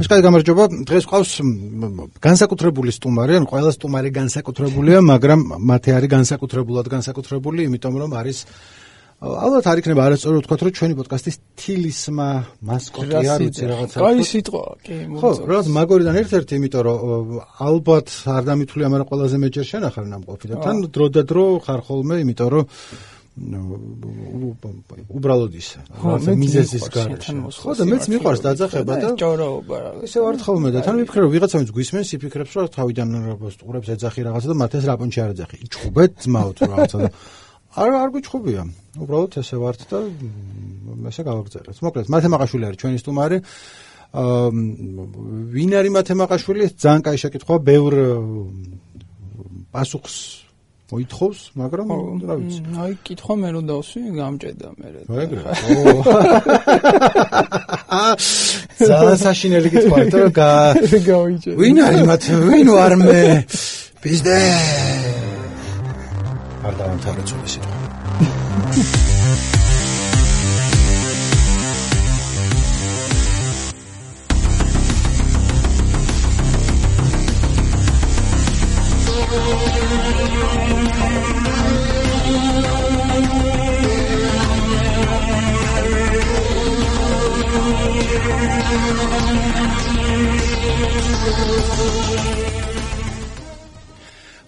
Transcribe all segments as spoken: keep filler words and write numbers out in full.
კაი გამარჯობა. დღეს ყავს განსაკუთრებული სტუმარი, ან ყველა სტუმარი განსაკუთრებულია, მაგრამ მათი არის განსაკუთრებულად განსაკუთრებული, იმიტომ რომ არის ალბათ არ იქნება არასწორი ვთქვათ, რომ ჩვენი პოდკასტის თილისმა მასკოტი არ ვიცი რაღაცა. კაი სიტყვა, კი, ხო, რაღაც მაგორიდან ერთ-ერთი, იმიტომ რომ ალბათ არ დამithვლია, მაგრამ ყველაზე მეჯერ შენახარ ნამყოფი და თან დრო და დრო ხარ ხოლმე, იმიტომ რომ უბრალოდ ის რაღაცა მიზეზის გარეშე. ხო და მეც მიყვარს დაძახება და ჭოროობა რა. ისე ვარ ხოლმე და თან ვიფიქრე რომ ვიღაცა ვინც გვისმენს, იფიქრებს რომ თავიდან სტუმრებს ეძახი რაღაცა და მათ ეს რაპონჩი არ ეძახი. იჩხუბეთ ძმაოთ რაღაცა და არ არ გიჩხუბია. უბრალოდ ესე ვართ და ესე გავაგზავნეთ. მოკლედ, მათემაყაშვილი არის ჩვენი სტუმარი. აა ვინ არის მათემაყაშვილი? ძალიან კაი შეკითხვაა, ბევრ პასუხს მოითხოვს, მაგრამ რა ვიცი. აი, კითხვა მე რომ დავსვი, გამჭედა მე. ეგრე. ძალიან საშინელი კითხვაა, თორე გავიჭერე. ვინ არის მათ? ვინ ვარ მე? პიზდე. არ დავამთავრე ძველი სიტყვა.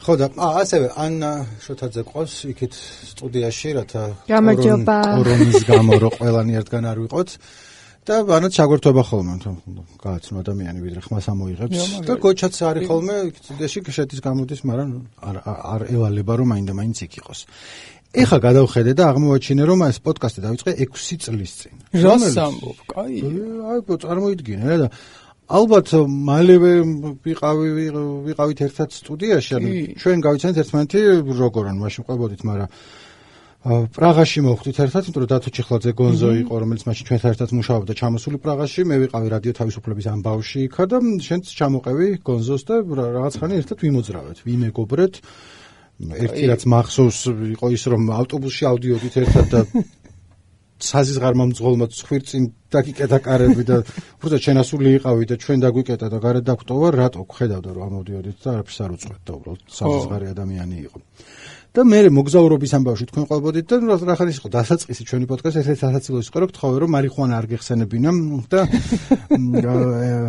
ხო და ასევე ანა შოთაძე ყავს იქით სტუდიაში, რათა გამარჯობა. კორონის გამო რო ყველანი ერთგან არ ვიყოთ და ანაც ჩაგვერთვება ხოლმე, გააცნო ადამიანი ვიდრე ხმას ამოიღებს და გოჩაც არის ხოლმე სტუდიაში შედის გამოდის, მაგრამ არ არ ევალება რომ მაინდა მაინც იქ იყოს. ეხლა გადავხედე და აღმოვაჩინე რომ ეს პოდკასტი დავიწყე ექვსი წლის წინ. რას ამბობ? კაი. აი, წარმოიდგინე რა და ალბათ მალევე ვიყავი ვიყავით ერთად სტუდიაში, ანუ ჩვენ გავიცანეთ ერთმანეთი როგორ ან მაშინ ყვებოდით, მაგრამ პრაღაში მოვხდით ერთად, იმიტომ რომ დათო ჩიხლაძე გონზო იყო, რომელიც მაშინ ჩვენთან ერთად მუშაობდა ჩამოსული პრაღაში, მე ვიყავი რადიო თავისუფლების ამბავში იქა და შენც ჩამოყევი გონზოს და რაღაც ხანი ერთად ვიმოძრავეთ, ვიმეგობრეთ. ერთი რაც მახსოვს იყო ის, რომ ავტობუსში ავდიოდით ერთად და საზიზღარმა მძღოლმა ცხვირწინ დაგიკეტა კარები და უბრალოდ შენასული იყავი და ჩვენ დაგვიკეტა და გარეთ დაგვტოვა, რატო ხედავდა რომ ამოდიოდით და არაფერს არ უწყვეთ და უბრალოდ საზიზღარი ადამიანი იყო. და მე მოგზაურობის ამბავში თქვენ ყვებოდით და რა ხარ ის იყო დასაწყისი ჩვენი პოდკასტი, ეს სასაცილო იყო რომ გთხოვე რომ მარიხუანა არ გეხსენებინა და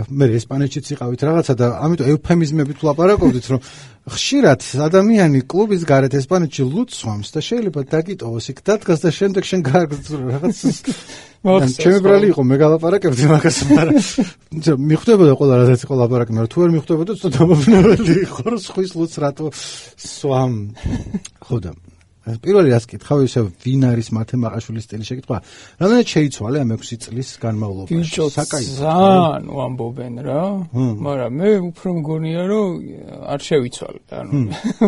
მე ესპანეთშიც იყავით რაღაცა და ამიტომ ევფემიზმებით ვლაპარაკობდით რომ ხშირად ადამიანი კლუბის გარეთ ესპანეთში ლუცვამს და შეიძლება დაგიტოვოს იქ დადგას და შემდეგ შენ გააგრძელო რაღაც ჩემი ბრალი იყო მე გალაპარაკებდი მაგას, მაგრამ მიხვდებოდა ყველა რაღაც იყო ლაპარაკი, მაგრამ თუ არ მიხვდებოდა ცოტა დამაბნეველი იყო რომ სხვის ლუც რატო სვამ. ხო და პირველი რას კითხავ ისე ვინ არის მათემაყაშვილის სტილი შეკითხვა. რამდენად შეიცვალე ამ ექვსი წლის განმავლობაში? საკაი. ძალიან ვამბობენ რა, მაგრამ მე უფრო მგონია რომ არ შევიცვალე, ანუ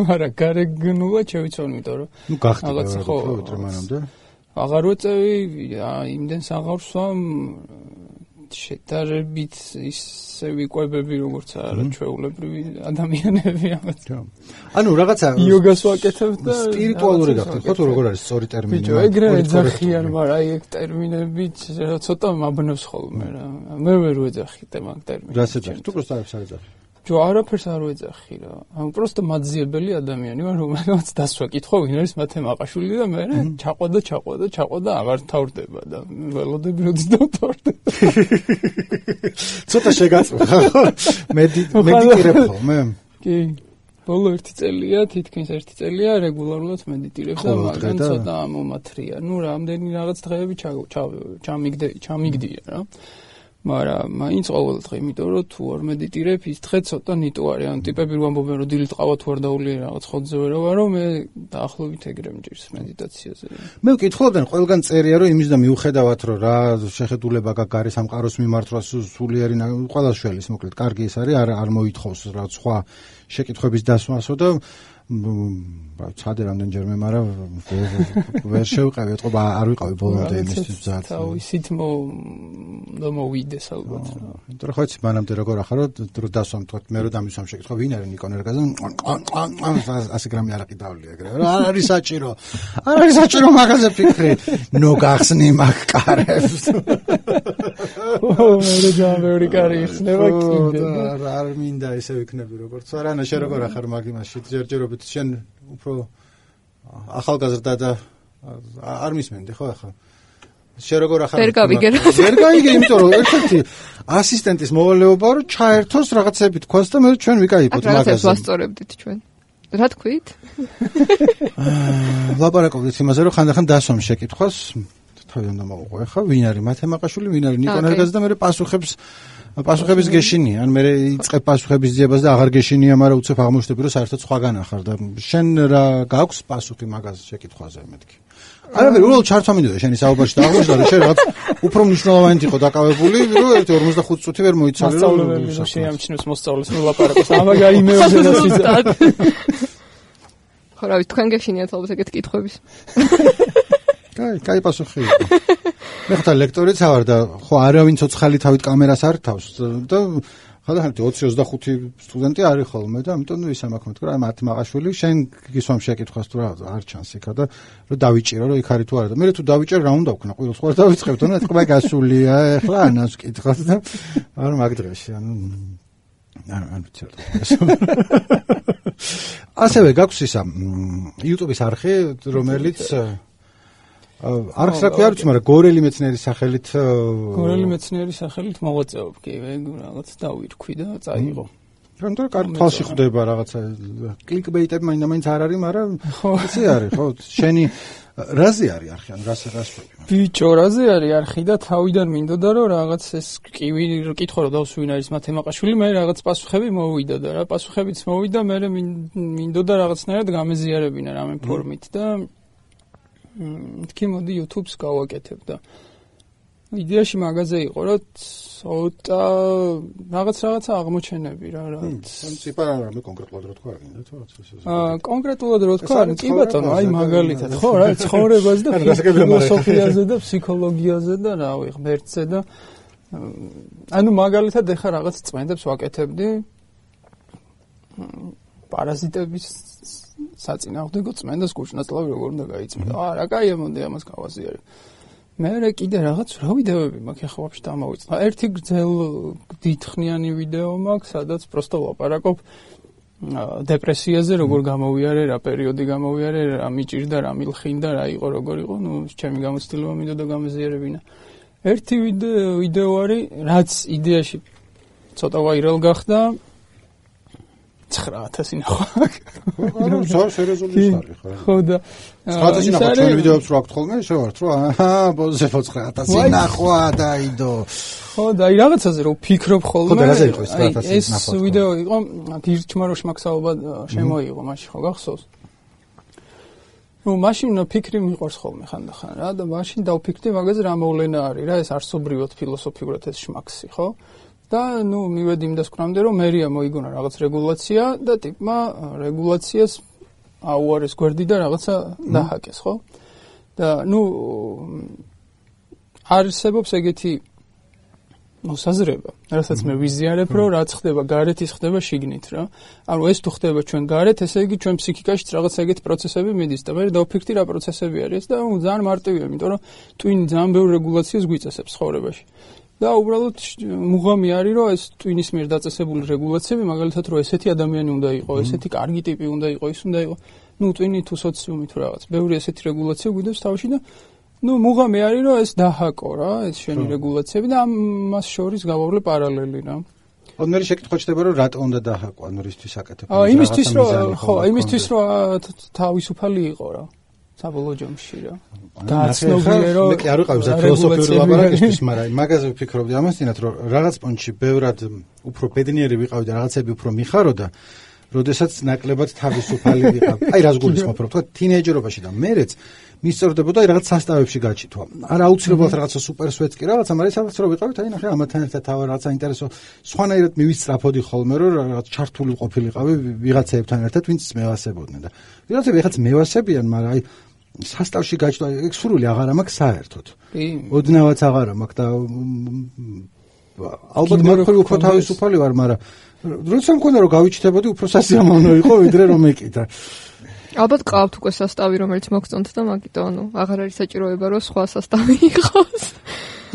მაგრამ გარეგნულად შევიცვალე, იმიტომ რომ ნუ გახდება რა ვიტყვი მანამდე. აღარ ვეწევი, იმდენს აღარ ვსვამ, შედარებით ისე ვიყვებები როგორც არა ჩვეულებრივი ადამიანები ამათ. ანუ რაღაცა იოგას ვაკეთებ და სპირიტუალური გახდით, ხო თუ როგორ არის სწორი ტერმინი? ბიჭო, ეგრე ეძახიან, მაგრამ აი ეგ ტერმინებიც ცოტა მაბნევს ხოლმე რა. მე ვერ ვეძახით მაგ ტერმინს. რას ეძახი? თუ პროსტა არაფერს არ ეძახი. ჯო არაფერს არ ვეძახი რა. ანუ პროსტა მაძიებელი ადამიანი ვარ, რომელსაც დასვა კითხვა ვინ არის მათემაყაშვილი და მე ჩაყვა და ჩაყვა და ჩაყვა და აღარ თავრდება და ველოდები როდის დავთავრდება. ცოტა შეგაწყვეტ ხო? მედიტირებ ხოლმე? კი. ბოლო ერთი წელია, თითქმის ერთი წელია რეგულარულად მედიტირებ და მაგან ცოტა მომათრია. ნუ რამდენი რაღაც დღეები ჩამიგდე ჩამიგდია რა. მაგრამ მაინც ყოველ დღე, იმიტომ რომ თუ არ მედიტირებ, ის დღე ცოტა ნიტო არის. ანუ ტიპები რომ ამბობენ, რომ დილით ყავა თუ არ დაულიე რაღაც ხოძზე ვერ ვარო, მე დაახლოებით ეგრე მჭირს მედიტაციაზე. მე ვკითხულობდნენ, ყველგან წერია, რომ იმის და მიუხედავად, რომ რა შეხედულება გაქვს გარე სამყაროს მიმართ, რა სულიერი ყველა შველის, მოკლედ, კარგი ის არის, არ არ მოითხოვს რა სხვა შეკითხვების დასვასო და ცადე რამდენჯერმე, მაგრამ ვერ შევყევი, ეთყობა არ ვიყავი ბოლომდე იმისთვის ძალიან. თავისით მომოვიდეს ალბათ. იმიტომ რომ ხო იცი მანამდე როგორ ახარო, რომ დასვამ თქვა მე რომ დამისვამ შეკითხვა, ვინ არის ნიკონ ერგაზე? ასე გრამი არაყი დავლი ეგრე. არ არის საჭირო. არ არის საჭირო მაგაზე ფიქრი. ნუ გახსნი მაგ კარებს. ო მე ძალიან ბევრი კარი იხსნება კიდე. არ მინდა ესე ვიქნები როგორც არა, ანა შენ როგორ ახარ მაგ იმაში ჯერჯერობით შენ უფრო ახალგაზრდა და არ მისმენდი ხო ახლა შენ როგორ ახარ ვერ გავიგე რა ვერ გავიგე იმიტომ რომ ერთ-ერთი ასისტენტის მოვალეობა რომ ჩაერთოს რაღაცები თქვას და მე ჩვენ ვიკაიფოთ მაგაზე რაღაცებს ვასწორებდით ჩვენ რა თქვით ლაპარაკობდით იმაზე რომ ხანდახან დასვამ შეკითხვას თავი უნდა მოუყვე ხა ვინ არის მათემატიკაში ვინ არის ნიკო ნერგაძე და მე პასუხებს პასუხების გეშინია ან მე იწყებ პასუხების ძიებას და აღარ გეშინია მაგრამ უცებ აღმოჩნდები რომ საერთოდ სხვაგან ახარ და შენ რა გაქვს პასუხი მაგაზე შეკითხვაზე მეთქი არა ვერ უბრალოდ ჩართვა მინდოდა შენი საუბარში და აღმოჩნდა რომ შენ რაღაც უფრო მნიშვნელოვანი იყო დაკავებული რომ ერთი ორმოცდახუთი წუთი ვერ მოიცალე რომ შეამჩნევს მოსწავლეს მოლაპარაკოს ამაგარი მეოზე და სიზარდ ხო რა ვიცი თქვენ გეშინიათ ალბათ ეგეთ კითხვების კაი, კაი პასუხი იყო. მე ხთა ლექტორიც ავარ და ხო არავინ ცოცხალი თავით კამერას არ თავს და ხანდახან ოცი ოცდახუთი სტუდენტი არის ხოლმე და ამიტომ ნუ ისა მაქვს მეთქვა, აი მათი მაყაშვილი შენ გისვამ შეკითხვას თუ რა არ ჩანს იქა და რომ დავიჭირო რომ იქ არის თუ არა და მე თუ დავიჭერ რა უნდა ვქნა, ყოველს ხوار დავიწყებთ, ანუ ეთქმა გასულია, ეხლა ანას ვკითხოთ და არ მაგ დღეში, ანუ არ არ ვიცი რა. ასევე გაქვს ისა YouTube-ის არხი, რომელიც არხს რა ქვია, არ ვიცი, მაგრამ გორელი მეცნიერის სახელით გორელი მეცნიერის სახელით მოღვაწეობ კი, რაღაც დავირქვი და წაიღო. რანდა კარგი თვალში ხვდება რაღაცა კლიკბეიტები მაინდა-მაინც არ არის, მაგრამ იცი არის, ხო? შენი რაზე არის არხი, ან რას რას ვები? ბიჭო, რაზე არის არხი და თავიდან მინდოდა რომ რაღაც ეს კივი კითხო რომ დავს ვინ არის მათემატიკაშვილი, მე რაღაც პასუხები მოვიდა და რა პასუხებიც მოვიდა, მე მინდოდა რაღაცნაირად გამეზიარებინა რამე ფორმით და თქი მოდი YouTube-ს გავაკეთებ და იდეაში მაგაზე იყო რომ ცოტა რაღაც რაღაცა აღმოჩენები რა რა ციფრა რამე კონკრეტულად რო თქვა გინდა თუ რაღაცა აა კონკრეტულად რო თქვა კი ბატონო აი მაგალითად ხო რა ცხოვრებაზე და ფილოსოფიაზე და ფსიქოლოგიაზე და რა ვიღ ღმერთზე და ანუ მაგალითად ეხა რაღაც წმენდებს ვაკეთებდი პარაზიტების საწინააღმდეგო წმენდას გუჩნაწლავი როგორ უნდა გაიწმინდა. აა რა კაია მომდი ამას გავაზიარე. მე რა კიდე რაღაც რა ვიდეოები მაქვს ახლა ვაფშე დამოვიწყდა. ერთი გრძელ დიდხნიანი ვიდეო მაქვს, სადაც პროსტო ლაპარაკობ დეპრესიაზე, როგორ გამოვიარე, რა პერიოდი გამოვიარე, რა მიჭირდა, რა მილხინდა, რა იყო, როგორ იყო, ნუ ჩემი გამოცდილება მინდოდა გამეზიარებინა. ერთი ვიდეო არის, რაც იდეაში ცოტა ვაირალ გახდა. ცხრა ათასი ნახვა. ანუ ზარ სერიოზული არის ხო? ხო და ცხრა ათასი ნახვა ჩვენ ვიდეოებს რო აქვთ ხოლმე, შევართ რო აჰა, ბოლოს ცხრა ათასი ნახვა დაიდო. ხო და აი რაღაცაზე რო ვფიქრობ ხოლმე. ხო და რაზე იყო ცხრა ათასი ნახვა? ეს ვიდეო იყო გირჩმაროშ მაქსალობა შემოიღო მაშინ ხო გახსოვს? ნუ მაშინ ფიქრი მიყვარს ხოლმე ხანდახან რა და მაშინ დავფიქრდი მაგაზე რა მოვლენა არის რა ეს არსობრივად ფილოსოფიურად ეს შმაქსი ხო? და ნუ მივედი იმ დასკვნამდე რომ მერია მოიგონა რაღაც რეგულაცია და ტიპმა რეგულაციას აუარეს გვერდი და რაღაცა დაჰაკეს ხო და ნუ არსებობს ეგეთი ნუ საზრება რასაც მე ვიზიარებ რომ რაც ხდება გარეთ ის ხდება შიგნით რა ანუ ეს თუ ხდება ჩვენ გარეთ ესე იგი ჩვენ ფსიქიკაშიც რაღაც ეგეთი პროცესები მიდის და მე დავფიქრდი რა პროცესები არის და ნუ ძალიან მარტივია იმიტომ რომ ტვინი ძალიან ბევრ რეგულაციას გვიწესებს ცხოვრებაში და უბრალოდ მუღამი არის რომ ეს ტვინის მიერ დაწესებული რეგულაციები მაგალითად რომ ესეთი ადამიანი უნდა იყოს, ესეთი კარგი ტიპი უნდა იყოს, ის უნდა იყოს. ნუ ტვინი თუ სოციუმი თუ რაღაც. ბევრი ესეთი რეგულაცია გვიდევს თავში და ნუ მუღამი არის რომ ეს დაჰაკო რა, ეს შენი რეგულაციები და ამას შორის გავავლე პარალელი რა. ანუ მე შეკითხვა ჩდება რომ რატო უნდა დაჰაკო, ანუ რისთვის აკეთებ? აა იმისთვის რომ ხო, იმისთვის რომ თავისუფალი იყო რა. საბოლოო ჯამში რა. გააცნობიერე რომ მე კი არ ვიყავი ფილოსოფიური ლაპარაკისთვის, მაგრამ მაგაზე ვფიქრობდი ამასთანავე რომ რაღაც პონჩი ბევრად უფრო ბედნიერი ვიყავი და რაღაცები უფრო მიხაროდა, როდესაც ნაკლებად თავისუფალი ვიყავ. აი რას გულისხმობ რომ თქვა თინეიჯერობაში და მერეც მისწორდებოდა აი რაღაც სასტავებში გაჩითვა. არ აუცილებლად რაღაცა სუპერსვეტს კი რაღაცა, მაგრამ სადაც რომ ვიყავით, აი ნახე ამათთან ერთად თავი რაღაცა ინტერესო სხვანაირად მივისწრაფოდი ხოლმე რომ რაღაც ჩართული ყოფილიყავი ვიღაცებთან ერთად, ვინც მევასებოდნენ და ვიღაცები ეხაც მევასებიან, მაგრამ აი სასტავში გაჩნდა ეგ სურვილი აღარა მაქვს საერთოდ. კი. ოდნავაც აღარა მაქვს და ალბათ მაგხრივ უფრო თავისუფალი ვარ, მაგრამ როცა მქონდა რომ გავიჩნდებოდი უფრო სასიამოვნო იყო ვიდრე რომ ეკითხა. ალბათ ყავთ უკვე სასტავი რომელიც მოგწონთ და მაგიტო ანუ აღარ არის საჭიროება რომ სხვა სასტავი იყოს.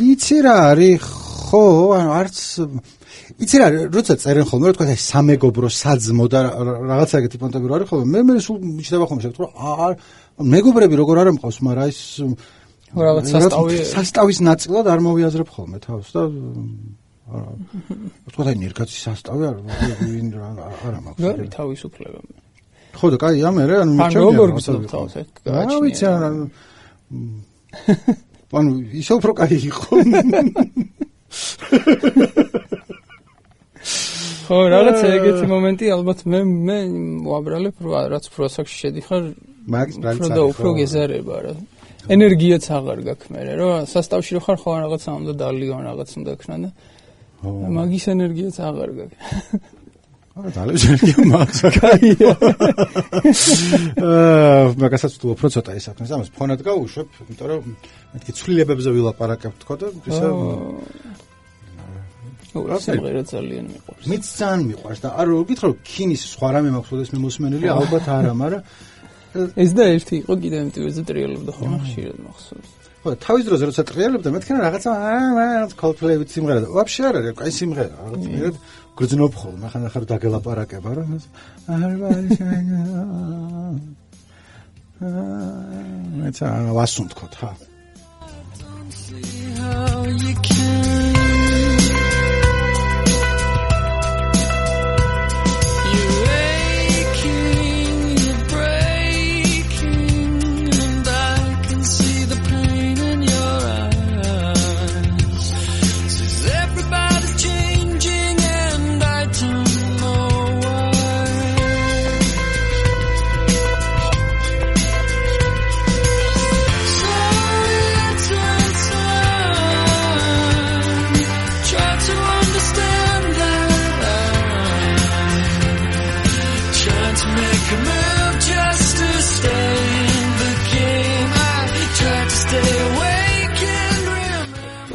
იცი რა არის ხო, ანუ არც იცი რა, როცა წერენ ხოლმე, რა თქვა, აი სამეგობრო, საძმო და რაღაცა ეგეთი პონტები რო არის ხოლმე, მე მე სულ მიჩნდება ხოლმე შეგთქვა, აა მეგობრები როგორ არ ამყავს, მაგრამ ის რაღაც სასტავი სასტავის ნაწილად არ მოვიაზრებ ხოლმე თავს და არა. თქვა აი ნერგაცი სასტავი არ არა მაქვს. რა თავისუფლება. ხო და კაი ამე რა ანუ მიჩემია. ანუ როგორ გწევ თავს ეს გააჩნია. რა ვიცი არა. ანუ ისე უფრო კაი იყო. ხო, რაღაც ეგეთი მომენტი ალბათ მე მე ვაბრალებ რაც პროსაქში შედიხარ მაგის ბრალიც და უფრო გეზარება რა. ენერგიაც აღარ გაქვს მე რა სასტავში რო ხარ ხო რაღაც უნდა დალიონ რაღაც უნდა ქნა და მაგის ენერგიაც აღარ გაქვს. არა დალევს ენერგია მაქვს. კაია. აა მაგასაც თუ უფრო ცოტა ისაკნეს ამას ფონად გავუშვებ, იმიტომ რომ მეთქი ცვლილებებზე ვილაპარაკებ თქო და ისა სიმღერა ძალიან მიყვარს. მეც ძალიან მიყვარს და არ გითხრა რომ ქინის სხვა რამე მაქვს ოდესმე მოსმენელი ალბათ არა, მაგრამ ეს და ერთი იყო კიდე ამიტომზე ტრიალებდა ხოლმე ხშირად მახსოვს. ხო, თავის დროზე როცა ტრიალებდა მეთქი რა რაღაცა აა Coldplay-ით სიმღერა და ვაფშე არ არის, კაი სიმღერა, რაღაც მერე გრძნობ ხოლმე, ხან ახლა დაგელაპარაკება რა. არ ვარიშანა. აა მეც ვასუნთქოთ ხა.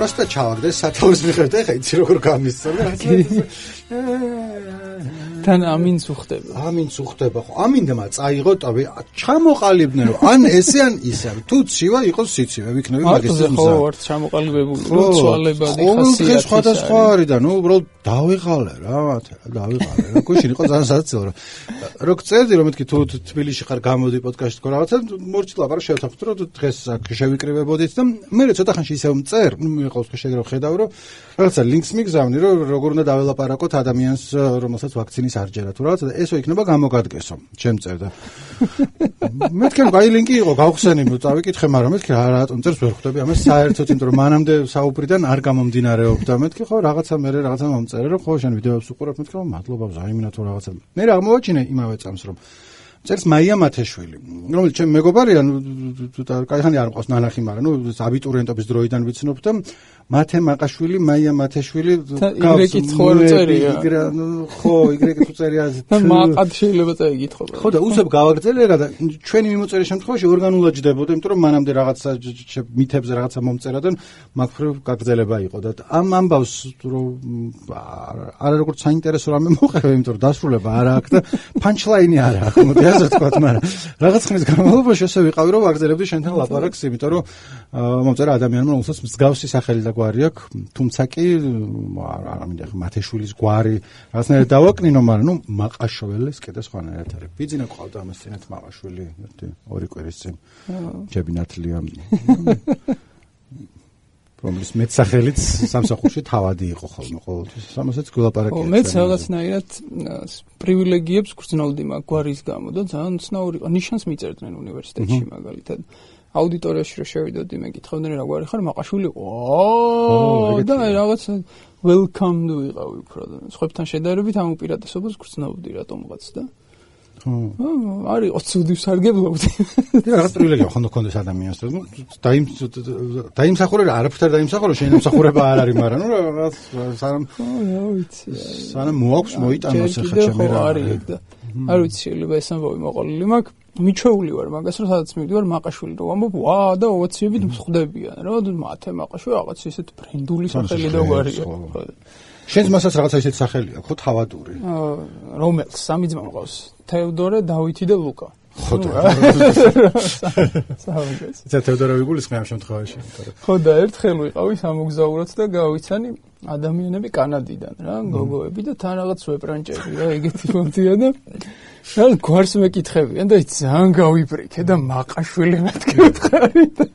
Просто ჩავაგდე სათავის მიხედა, ეხა იცი როგორ გამისწორდა. თან ამინც უხდება. ამინც უხდება ხო. ამინდმა წაიღო ტოვი, ჩამოყალიბდნენ რომ ან ესე ან ისე. თუ ცივა იყოს სიცივე, ვიქნები მაგისტრის მზა. ხო, ვართ ჩამოყალიბებული, როცვალებადი ხასიათი. ხო, სხვადასხვა არის და ნუ უბრალოდ დავიღალე რა, მათე რა, დავიღალე რა. გუშინ იყო ძალიან საცილო რა. რო გწერდი რომ მეთქი თუ თბილისში ხარ გამოდი პოდკასტში თქო რაღაცა მორჩილ აბარ შევთანხმდით რომ დღეს აქ შევიკრიბებოდით და მე ცოტა ხანში ისევ მწერ, ნუ მიყავს ხო შეგროვ ხედავ რომ რაღაცა ლინკს მიგზავნი რომ როგორ უნდა დაველაპარაკოთ ადამიანს რომელსაც ვაქცინის არ ჯერა თუ რაღაცა და ესო იქნება გამოგადგესო ჩემ წერდა. მეთქი აი ლინკი იყო გავხსენი წავიკითხე მაგრამ მეთქი რა რატომ წერს ვერ ხვდები ამას საერთოდ იმიტომ რომ მანამდე საუბრიდან არ გამომდინარეობდა მეთქი ხო რაღაცა მე რაღაცა მომწერე რომ ხო შენ ვიდეოებს უყურებ მეთქი რომ მადლობა ზაიმინა თუ რაღაცა მე რა აღმოვაჩინე იმავე წამს რომ წერს მაია მათეშვილი რომელიც ჩემ მეგობარია კაიხანი არ მყავს ნანახი მაგრამ ნუ აბიტურიენტობის დროიდან ვიცნობ და მათე მაყაშვილი მაია მათეშვილი იგრეკით ხო არ წერია ხო იგრეკით წერია და მაყად შეიძლება წაიგითხო ხო და უსებ გავაგრძელე რა და ჩვენი მიმოწერის შემთხვევაში ორგანულად ჯდებოდა იმიტომ რომ მანამდე რაღაცა მითებზე რაღაცა მომწერა და მაგფრო გაგრძელება იყო და ამ ამბავს რომ არა როგორც საინტერესო რამე მოყევი იმიტომ რომ დასრულება არ აქვს და პანჩლაინი არ აქვს მოდი ასე ვთქვა მაგრამ რაღაც ხნის განმავლობაში ესე ვიყავი რომ ვაგრძელებდი შენთან ლაპარაკს იმიტომ რომ მომწერა ადამიანმა რომელსაც მსგავსი სახელი და გვარი აქვს, თუმცა კი არ მინდა მათეშვილის გვარი რაღაცნაირად დავაკნინო, მაგრამ ნუ მაყაშველეს კიდე სხვანაირად არის. ბიძინა ყავდა ამას წინათ მაყაშვილი, ერთი ორი კვირის წინ. ჯებინათლია. რომლის მეცახელიც სამსახურში თავადი იყო ხოლმე ყოველთვის. ამასაც გულაპარაკია. ო მეც რაღაცნაირად პრივილეგიებს გრძნოვდი მაგ გვარის გამო და ძალიან ცნაური იყო. ნიშანს მიწერდნენ უნივერსიტეტში მაგალითად. აუდიტორიაში რო შევიდოდი მე გითხავდნენ რა გვარი ხარ მაყაშვილი ო და რაღაც welcome to ვიყავი უფრო და სხვებთან შედარებით ამ უპირატესობას გრძნობდი რატომღაც და ხო არის ოცუდი სარგებლობდი და რაღაც პრივილეგია ხონდა კონდეს ადამიანს და დაიმ დაიმსახურე რა არაფერ დაიმსახურე შენ იმსახურება არ არის მაგრამ ნუ რაღაც სანამ ხო რა ვიცი სანამ მოაქვს მოიტანოს ახლა ჩემი რა არის და არ ვიცი შეიძლება ეს ამბავი მოყოლილი მაქვს მიჩვეული ვარ მაგას რომ სადაც მივდივარ მაყაშვილი რომ ამბობ ვა და ოვაციებით მსხვდებიან რა მათე მაყაშვილი რაღაც ისეთ ბრენდული სახელი და გვარია შენს მასაც რაღაცა ისეთ სახელი აქვს ხო თავადური რომელს სამი ძმა მყავს თეოდორე დავითი და ლუკა ხო და საუბრობს. ცა თეოდორა ვიგულისხმე ამ შემთხვევაში. ხო და ერთხელ ვიყავი სამოგზაუროდ და გავიცანი ადამიანები კანადიდან რა, გოგოები და თან რაღაც ვეპრანჭები რა, ეგეთი მომდია და რა გვარს მეკითხებიან და ძალიან გავიბრიქე და მაყაშვილი მეთქე და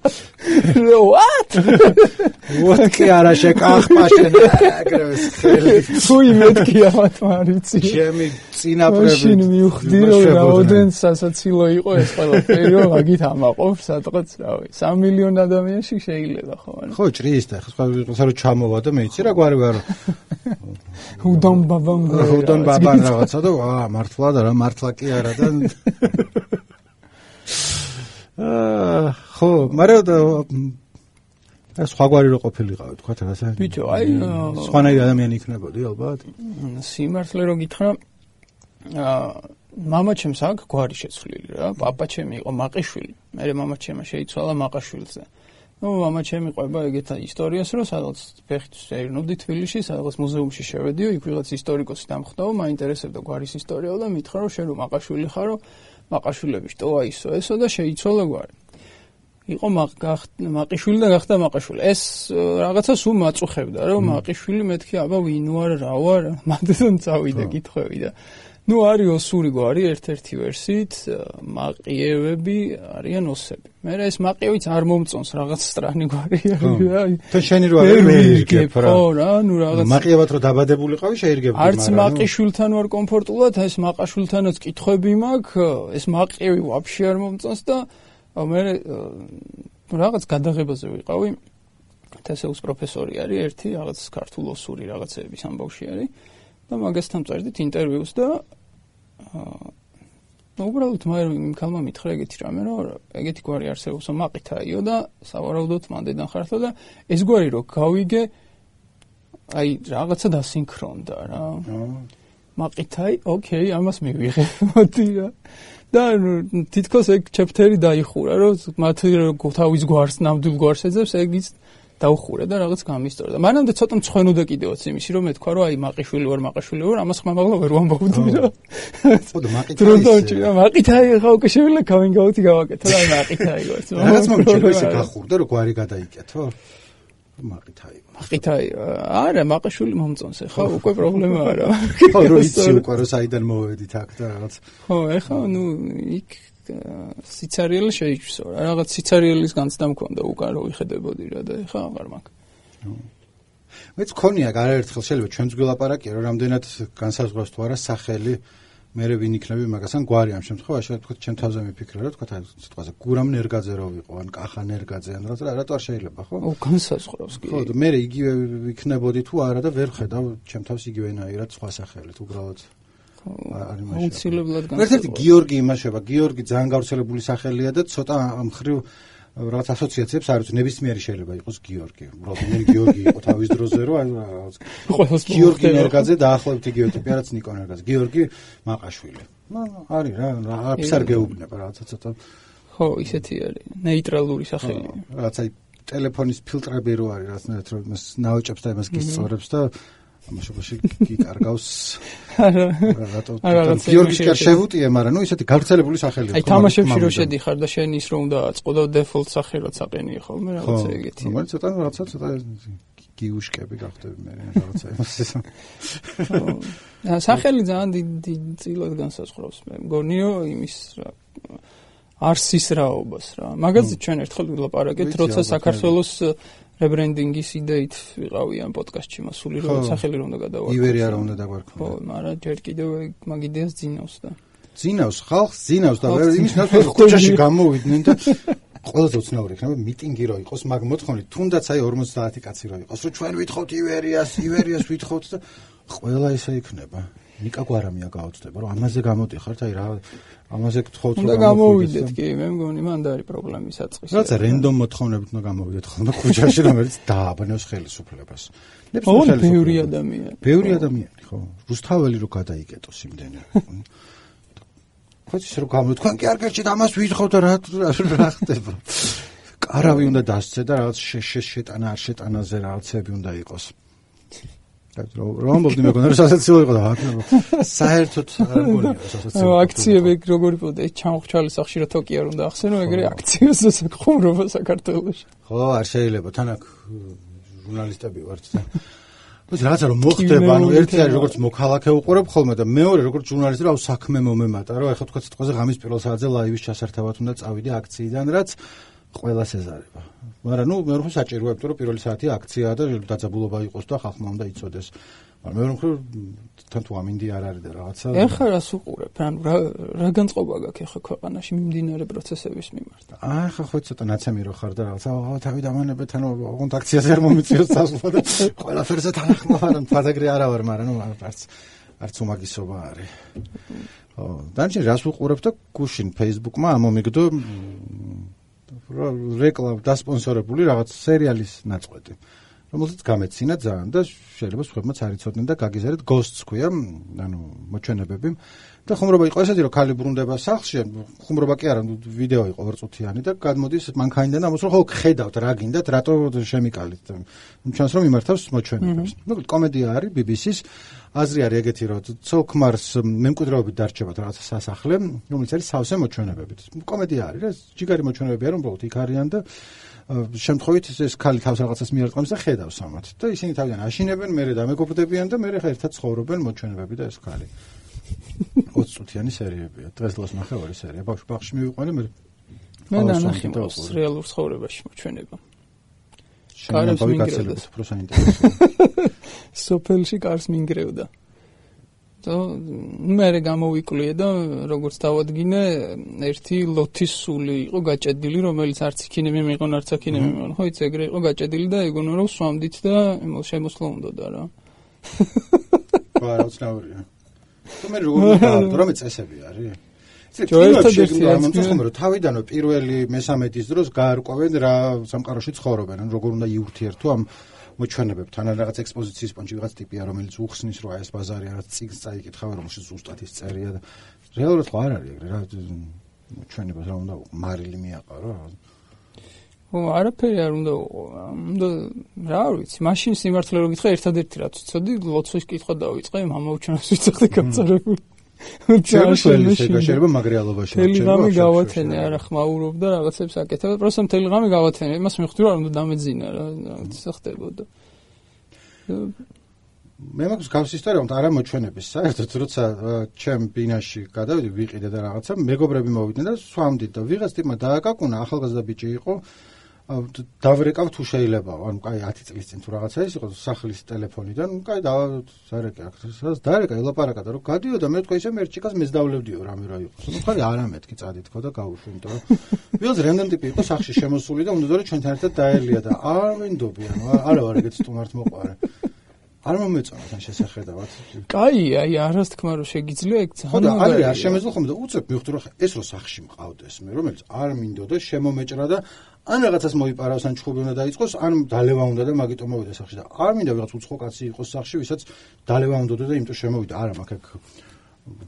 what? what კი არა შეკახპაშენ აგრეს ხელი. თუი მეთქი ამათ მარიცი. ჩემი წინაპრები. შინ მივხვდი რომ რაოდენ სასაცილო იყო ეს ყველაფერი რომ მაგით ამაყობ სადღაც რავი სამი მილიონი ადამიანში შეიძლება ხო არა. ხო ჭრის და ხო სხვა რო ჩამოვა და მეიცი რა გვარი ვარო. უდან ბაბამ უდან ბაბამ რაღაცა და აა მართლა და რა მართლა კი არა და აა ხო მაგრამ და სხვაგვარი რო ყოფილიყავი თქვა რაღაცა. ბიჭო აი სხვანაირი ადამიანი იქნებოდი ალბათ. სიმართლე რო გითხრა აა მამა ჩემს აქ გვარი შეცვლილი რა, პაპა ჩემი იყო მაყიშვილი. მე მამა ჩემმა შეიცვალა მაყაშვილზე. ნუ მამა ჩემი ყვება ეგეთ ისტორიას, რომ სადაც ფეხით ერნობდი თბილისში, სადაც მუზეუმში შევედიო, იქ ვიღაც ისტორიკოსი დამხვდაო, მაინტერესებდა გვარის ისტორიაო და მითხრა რომ შენ რომ მაყაშვილი ხარო, მაყაშვილები შტოა ისო ესო და შეიცვალა გვარი. იყო მაყიშვილი და გახდა მაყაშვილი. ეს რაღაცა სულ მაწუხებდა, რომ მაყიშვილი მეთქი აბა ვინ ვარ, რა ვარ, მანდან წავიდა კითხვები და ნუ არის ოსური გვარი ერთ-ერთი ვერსიით, მაყიევები არიან ოსები. მე ეს მაყიევიც არ მომწონს რაღაც სტრანი გვარია. და შენი რო არ მეირგებ რა. ხო რა, ნუ რაღაც მაყიევად რო დაბადებულიყავი შეირგებდი მაგრამ. არც მაყიშვილთან ვარ კომფორტულად, ეს მაყაშვილთანაც კითხვები მაქვს, ეს მაყიევი ვაფშე არ მომწონს და მე რაღაც გადაღებაზე ვიყავი. თესეუს პროფესორი არის ერთი, რაღაც ქართულ ოსური რაღაცების ამბავში არის. და მაგასთან წერდით ინტერვიუს და აა უბრალოდ მე იმ ქალმა მითხრა ეგეთი რამე რომ ეგეთი გვარი არსებობს მაყითაიო და სავარაუდოდ მანდედან ხართო და ეს გვარი რო გავიგე აი რაღაცა დასინქრონდა რა მაყითაი ოკეი ამას მივიღე მოდი რა და თითქოს ეგ ჩეფტერი დაიხურა რომ მათ თავის გვარს ნამდვილ გვარს ეძებს ეგიც დაუხურა და რაღაც გამისტორა და მანამდე ცოტა მწვენოდა კიდევაც იმისი რომ მეთქვა რომ აი მაყიშვილი ვარ მაყიშვილი ვარ ამას ხმამაღლა ვერ ვამბობდი რა ხო და მაყითაი მაყითაი ხა უკვე შევიდა coming out-ი გავაკეთე და მაყითაი ვარ რაღაც მომჩერდა ისე გახურდა რომ გვარი გადაიკეთო მაყითაი მაყითაი არა მაყიშვილი მომწონს ხა უკვე პრობლემა არა ხო რო იცი უკვე რომ საიდან მოვედით აქ და რაღაც ხო ეხა ნუ იქ სიცარიელი შეიჭვსო რა რაღაც სიცარიელის განცდა მქონდა უკან რო ვიხედებოდი რა და ეხა აღარ მაქვს. მეც მქონია არაერთხელ შეიძლება ჩვენც გველაპარაკია რომ რამდენად განსაზღვრავს თუ არა სახელი მერე ვინ იქნები მაგასთან გვარი ამ შემთხვევაში თქვა ჩემ თავზე მიფიქრე რა თქვა სიტყვაზე გურამ ნერგაძე რო ვიყო ან კახა ნერგაძე ან რა რატო არ შეიძლება ხო? ო განსაზღვრავს კი. ხო და მერე იგივე იქნებოდი თუ არა და ვერ ხედავ ჩემ თავს იგივენაირად სხვა სახელით უბრალოდ არის მაშინ. აუცილებლად განსაზღვრავს. ერთ-ერთი გიორგი იმაშება, გიორგი ძალიან გავრცელებული სახელია და ცოტა მხრივ რაღაც ასოციაციებს არის ნებისმიერი შეიძლება იყოს გიორგი. უბრალოდ მე გიორგი იყო თავის დროზე რომ რაღაც გიორგი ნერგაძე დაახლოებით იგივე ტიპი არაც ნიკო ნერგაძე. გიორგი მაყაშვილი. ნუ არის რა, არაფერს არ გეუბნება რაღაცა ცოტა. ხო, ისეთი არის. ნეიტრალური სახელი. რაღაცა ტელეფონის ფილტრები რო არის რაღაცნაირად რომ იმას ნაოჭებს და იმას გისწორებს და ამაშობაში გიკარგავს რატო გიორგის კარ შევუტიე მაგრამ ნუ ისეთი გავრცელებული სახელია აი თამაშებში რო შედიხარ და შენ ის რომ დააწყო და დეფოლტ სახე რაც აყენია ხოლმე რაღაცა ეგეთი ხო მაგრამ ცოტა რაღაცა ცოტა გიუშკები გახდები მე რაღაცა იმას ესა სახელი ძალიან დიდი წილად განსაზღვრავს მე მგონიო იმის რა არსის რაობას რა მაგაზე ჩვენ ერთხელ ვილაპარაკეთ როცა საქართველოს რებრენდინგის იდეით ვიყავი ამ პოდკასტში მასული რომ სახელი რომ უნდა გადავარქვა. ივერი არა უნდა დაგვარქვა. ხო, მაგრამ ჯერ კიდევ მაგ იდეას ძინავს და. ძინავს, ხალხს ძინავს და იმის ნაცვლად ხუჭაში გამოვიდნენ და ყველაზე უცნაური იქნება მიტინგი რო იყოს, მაგ მოთხოვნით თუნდაც აი ორმოცდაათი კაცი რო იყოს, რომ ჩვენ ვითხოვთ ივერიას, ივერიას ვითხოვთ და ყველა ისე იქნება. ნიკა გვარამია გაოცდება, რომ ამაზე გამოდიხართ, აი რა ამაზე გთხოვთ რომ გამოვიდეთ კი, მე მგონი მანდ არის პრობლემის საწყისი. რაცა რენდომ მოთხოვნებით უნდა გამოვიდეთ ხოლმე ქუჩაში, რომელიც დააბნევს ხელისუფლებას. ნებისმიერ ბევრი ადამიანი. ბევრი ადამიანი, ხო. რუსთაველი რო გადაიკეტოს იმდენი. ხოც ისე რომ გამოვიდეთ, თქვენ კი არ გერჩით ამას ვითხოვთ და რა რა ხდება. კარავი უნდა დასცე და რაღაც შეტანა არ შეტანაზე რაღაცები უნდა იყოს. რომ ამბობდი მეგონა რომ სასაცილო იყო და საერთოდ არ მგონია სასაცილო. აქციები როგორი პოდა ჩამოხჩალის სახშირა თოკი არ უნდა ახსენო ეგრე აქციებს და საკხუმრობა საქართველოში. ხო, არ შეიძლება თან აქ ჟურნალისტები ვართ და ვიცი რაღაცა რომ მოხდება, ანუ ერთი არის როგორც მოქალაქე უყურებ ხოლმე და მეორე როგორც ჟურნალისტი რა საქმე მომემატა, რომ ეხლა თქვა სიტყვაზე ღამის პირველ საათზე ლაივის ჩასართავად უნდა წავიდე აქციიდან, რაც ყველას ეზარება. მაგრამ ნუ მე რო საჭიროა, იმიტომ რომ პირველი საათი აქციაა და დაძაბულობა იყოს და ხალხმა უნდა იცოდეს. მაგრამ მე რო თან თუ ამინდი არ არის და რაღაცა. ეხლა რას უყურებ? ანუ რა რა განწყობა გაქვს ეხლა ქვეყანაში მიმდინარე პროცესების მიმართ? აი ხა ხო ცოტა ნაცემი რო ხარ და რაღაცა თავი დამანებეთ, ანუ ოღონდ აქციაზე არ მომიწიოს წასვლა და ყველაფერზე თანახმოვარ, ფაზაგრი არა ვარ, მაგრამ ნუ არც არც უმაგისობა არის. ხო, დანარჩენ რას უყურებ და გუშინ Facebook-მა ამომიგდო რეკლამ დასპონსორებული რაღაც სერიალის ნაწყვეტი, რომელსაც გამეცინა ძალიან და შეიძლება სხვებმაც არ იცოდნენ და გაგიზარდეთ Ghosts ქვია, ანუ მოჩვენებები და ხუმრობა იყო ესეთი რომ ქალი ბრუნდება სახლში, ხუმრობა კი არა, ვიდეო იყო ორწუთიანი და გადმოდის მანქანიდან ამას რომ ხო ხედავთ რა გინდათ, რატო შემიკალით. ჩანს რომ იმართავს მოჩვენებებს. ნუ კომედია არის B B C-ს, აზრი არის ეგეთი რომ ცოლ-ქმარს მემკვიდრეობით დარჩებათ რაღაცა სასახლე, რომელიც არის სავსე მოჩვენებებით. კომედია არის რა, ჯიგარი მოჩვენებებია რომ უბრალოდ იქ არიან და შემთხვევით ეს ქალი თავს რაღაცას მიარტყამს და ხედავს ამათ და ისინი თავიდან აშინებენ, მერე დამეგობრდებიან და მერე ხა ერთად ცხოვრობენ მოჩვენებები და ეს ქალი. ოცი წუთიანი სერიებია. დღეს დღეს ნახე ორი სერია. ბავშვ ბაღში მივიყვანე მე. მე ნახე მას რეალურ ცხოვრებაში მოჩვენება. კარს მინგრევდა. უფრო საინტერესო. სოფელში კარს მინგრევდა. და მე გამოვიკლია და როგორც დავადგინე, ერთი ლოთის სული იყო გაჭედილი, რომელიც არც იქინემი მიიღონ, არც აქინემი მიიღონ. ხო, იცი ეგრე იყო გაჭედილი და ეგონა რომ სვამდით და შემოსვლა უნდოდა რა. ვარა უცნაურია. თუ მე როგორ ვიყავ, რომ წესები არის? ერთადერთი ამომწონს რომ თავიდანვე პირველი მესამედის დროს გაარკვევენ რა სამყაროში ცხოვრობენ, ან როგორ უნდა იურთიერთო ამ მოჩვენებებთან, ან რაღაც ექსპოზიციის პონჩი ვიღაც ტიპია, რომელიც უხსნის რომ აი ეს ბაზარი რაღაც წიგნს წაიკითხავენ, რომელშიც ზუსტად ის წერია და რეალურად ხო არ არის ეგრე რა მოჩვენებას რა უნდა მარილი მიაყარო. ო არაფერი არ უნდა უნდა რა ვიცი, მაშინ სიმართლე რო გითხრა ერთადერთი რაც ვიცოდი, ლოცვის კითხვა დავიწყე, მამაუჩვენოს ვიცოდი გაწარებული. შეიძლება მაგრიალობაში ტელეგრამი გავათენე, არა ხმაურობ და რაღაცებს აკეთებ, პროსტა ტელეგრამი გავათენე, იმას მივხვდი რომ უნდა დამეძინა რა, რაღაცა ხდებოდა. მე მაქვს გავს ისტორია, რომ არა მოჩვენების საერთოდ, როცა ჩემ ბინაში გადავიდი, ვიყიდე და რაღაცა, მეგობრები მოვიდნენ და სვამდით და ვიღაც ტიპმა დააკაკუნა, ახალგაზრდა ბიჭი იყო, დავრეკავ თუ შეიძლება, ანუ კაი ათი წლის წინ თუ რაღაცა ის იყო სახლის ტელეფონიდან, კაი დავარეკე აქ, სადაც დაერეკა ელაპარაკა და რომ გადიოდა, მე თქვა ისე მერჩიკას მეზდავლევდიო რამე რა იყოს. ნუ ხარი არა მეთქი წადი თქო და გავუშვი, იმიტომ რომ ვიღაც რენდომ ტიპი იყო სახში შემოსული და უნდა რომ ჩვენთან ერთად დაელია და არ ვინდობი, ანუ არა ვარ ეგეთ სტუმართ მოყარე. არ მომეწონა თან შესახედავად. კაი, აი არას თქმა რომ შეგიძლია ეგ ძალიან. ხო და არის არ შემეძლო ხომ და უცებ მივხვდი რომ ეს რო სახში მყავდეს მე, რომელიც არ მინდოდა შემომეჭრა და ან რაღაცას მოიპარავს, ან ჩხუბი უნდა დაიწყოს, ან დალევა უნდა და მაგიტომ მოვიდა სახში და არ მინდა ვიღაც უცხო კაცი იყოს სახში, ვისაც დალევა უნდოდა და იმიტომ შემოვიდა. არა, მაგ აქ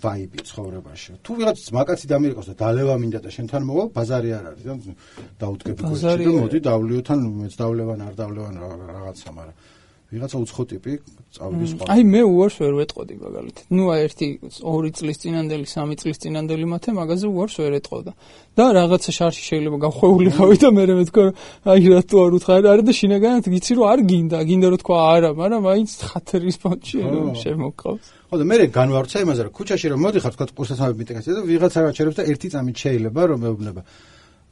ვაიბი ცხოვრებაში. თუ ვიღაც მაგაცი დამირეკოს და დალევა მინდა და შენთან მოვა, ბაზარი არ არის და დაუდგები გოჩი და მოდი დავლიოთან, მეც დავლევან, არ დავლევან რაღაცა, მაგრამ ვიღაცა უცხო ტიპი წავიდი სხვა. აი მე უარს ვერ ვეტყოდი მაგალითად. ნუ აი ერთი ორი წლის წინანდელი, სამი წლის წინანდელი მათე მაგაზე უარს ვერ ეტყოდა. და რაღაცა შარში შეიძლება გავხვეულიყავი და მე მეთქვა რომ აი რატო არ უთხარი, არა და შინაგანად გიცი რომ არ გინდა, გინდა რომ თქვა არა, მაგრამ მაინც ხათერის პონჩი შემოყავს. ხო და მე განვარჩა იმაზე რომ ქუჩაში რომ მოდიხარ თქვა კურსასამები მიტეკაცია და ვიღაცა რაჩერებს და ერთი წამით შეიძლება რომ მეუბნება.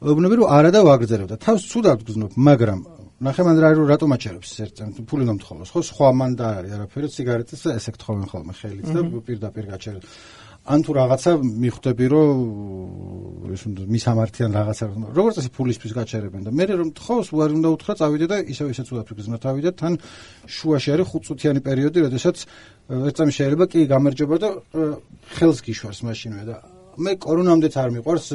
მეუბნები რომ არა და ვაგრძელებ და თავს ცუდად გზნობ, მაგრამ ნახე მან რა რატომ აჩერებს ერთ ფული უნდა მთხოვოს ხო სხვა მან და არის არაფერი სიგარეტის ესე გთხოვენ ხოლმე ხელით და პირდაპირ გაჩერებს ან თუ რაღაცა მიხვდები რომ ეს უნდა მისამართიან რაღაცა როგორც ასე ფულისთვის გაჩერებენ და მე რომ თხოვს უარი უნდა უთხრა წავიდე და ისევ ისე ცუდად ვიგზნო თავი და თან შუაში არის ხუთწუთიანი პერიოდი როდესაც ერთ წამი შეიძლება კი გამარჯობა და ხელს გიშვარს მაშინვე და მე კორონამდეც არ მიყვარს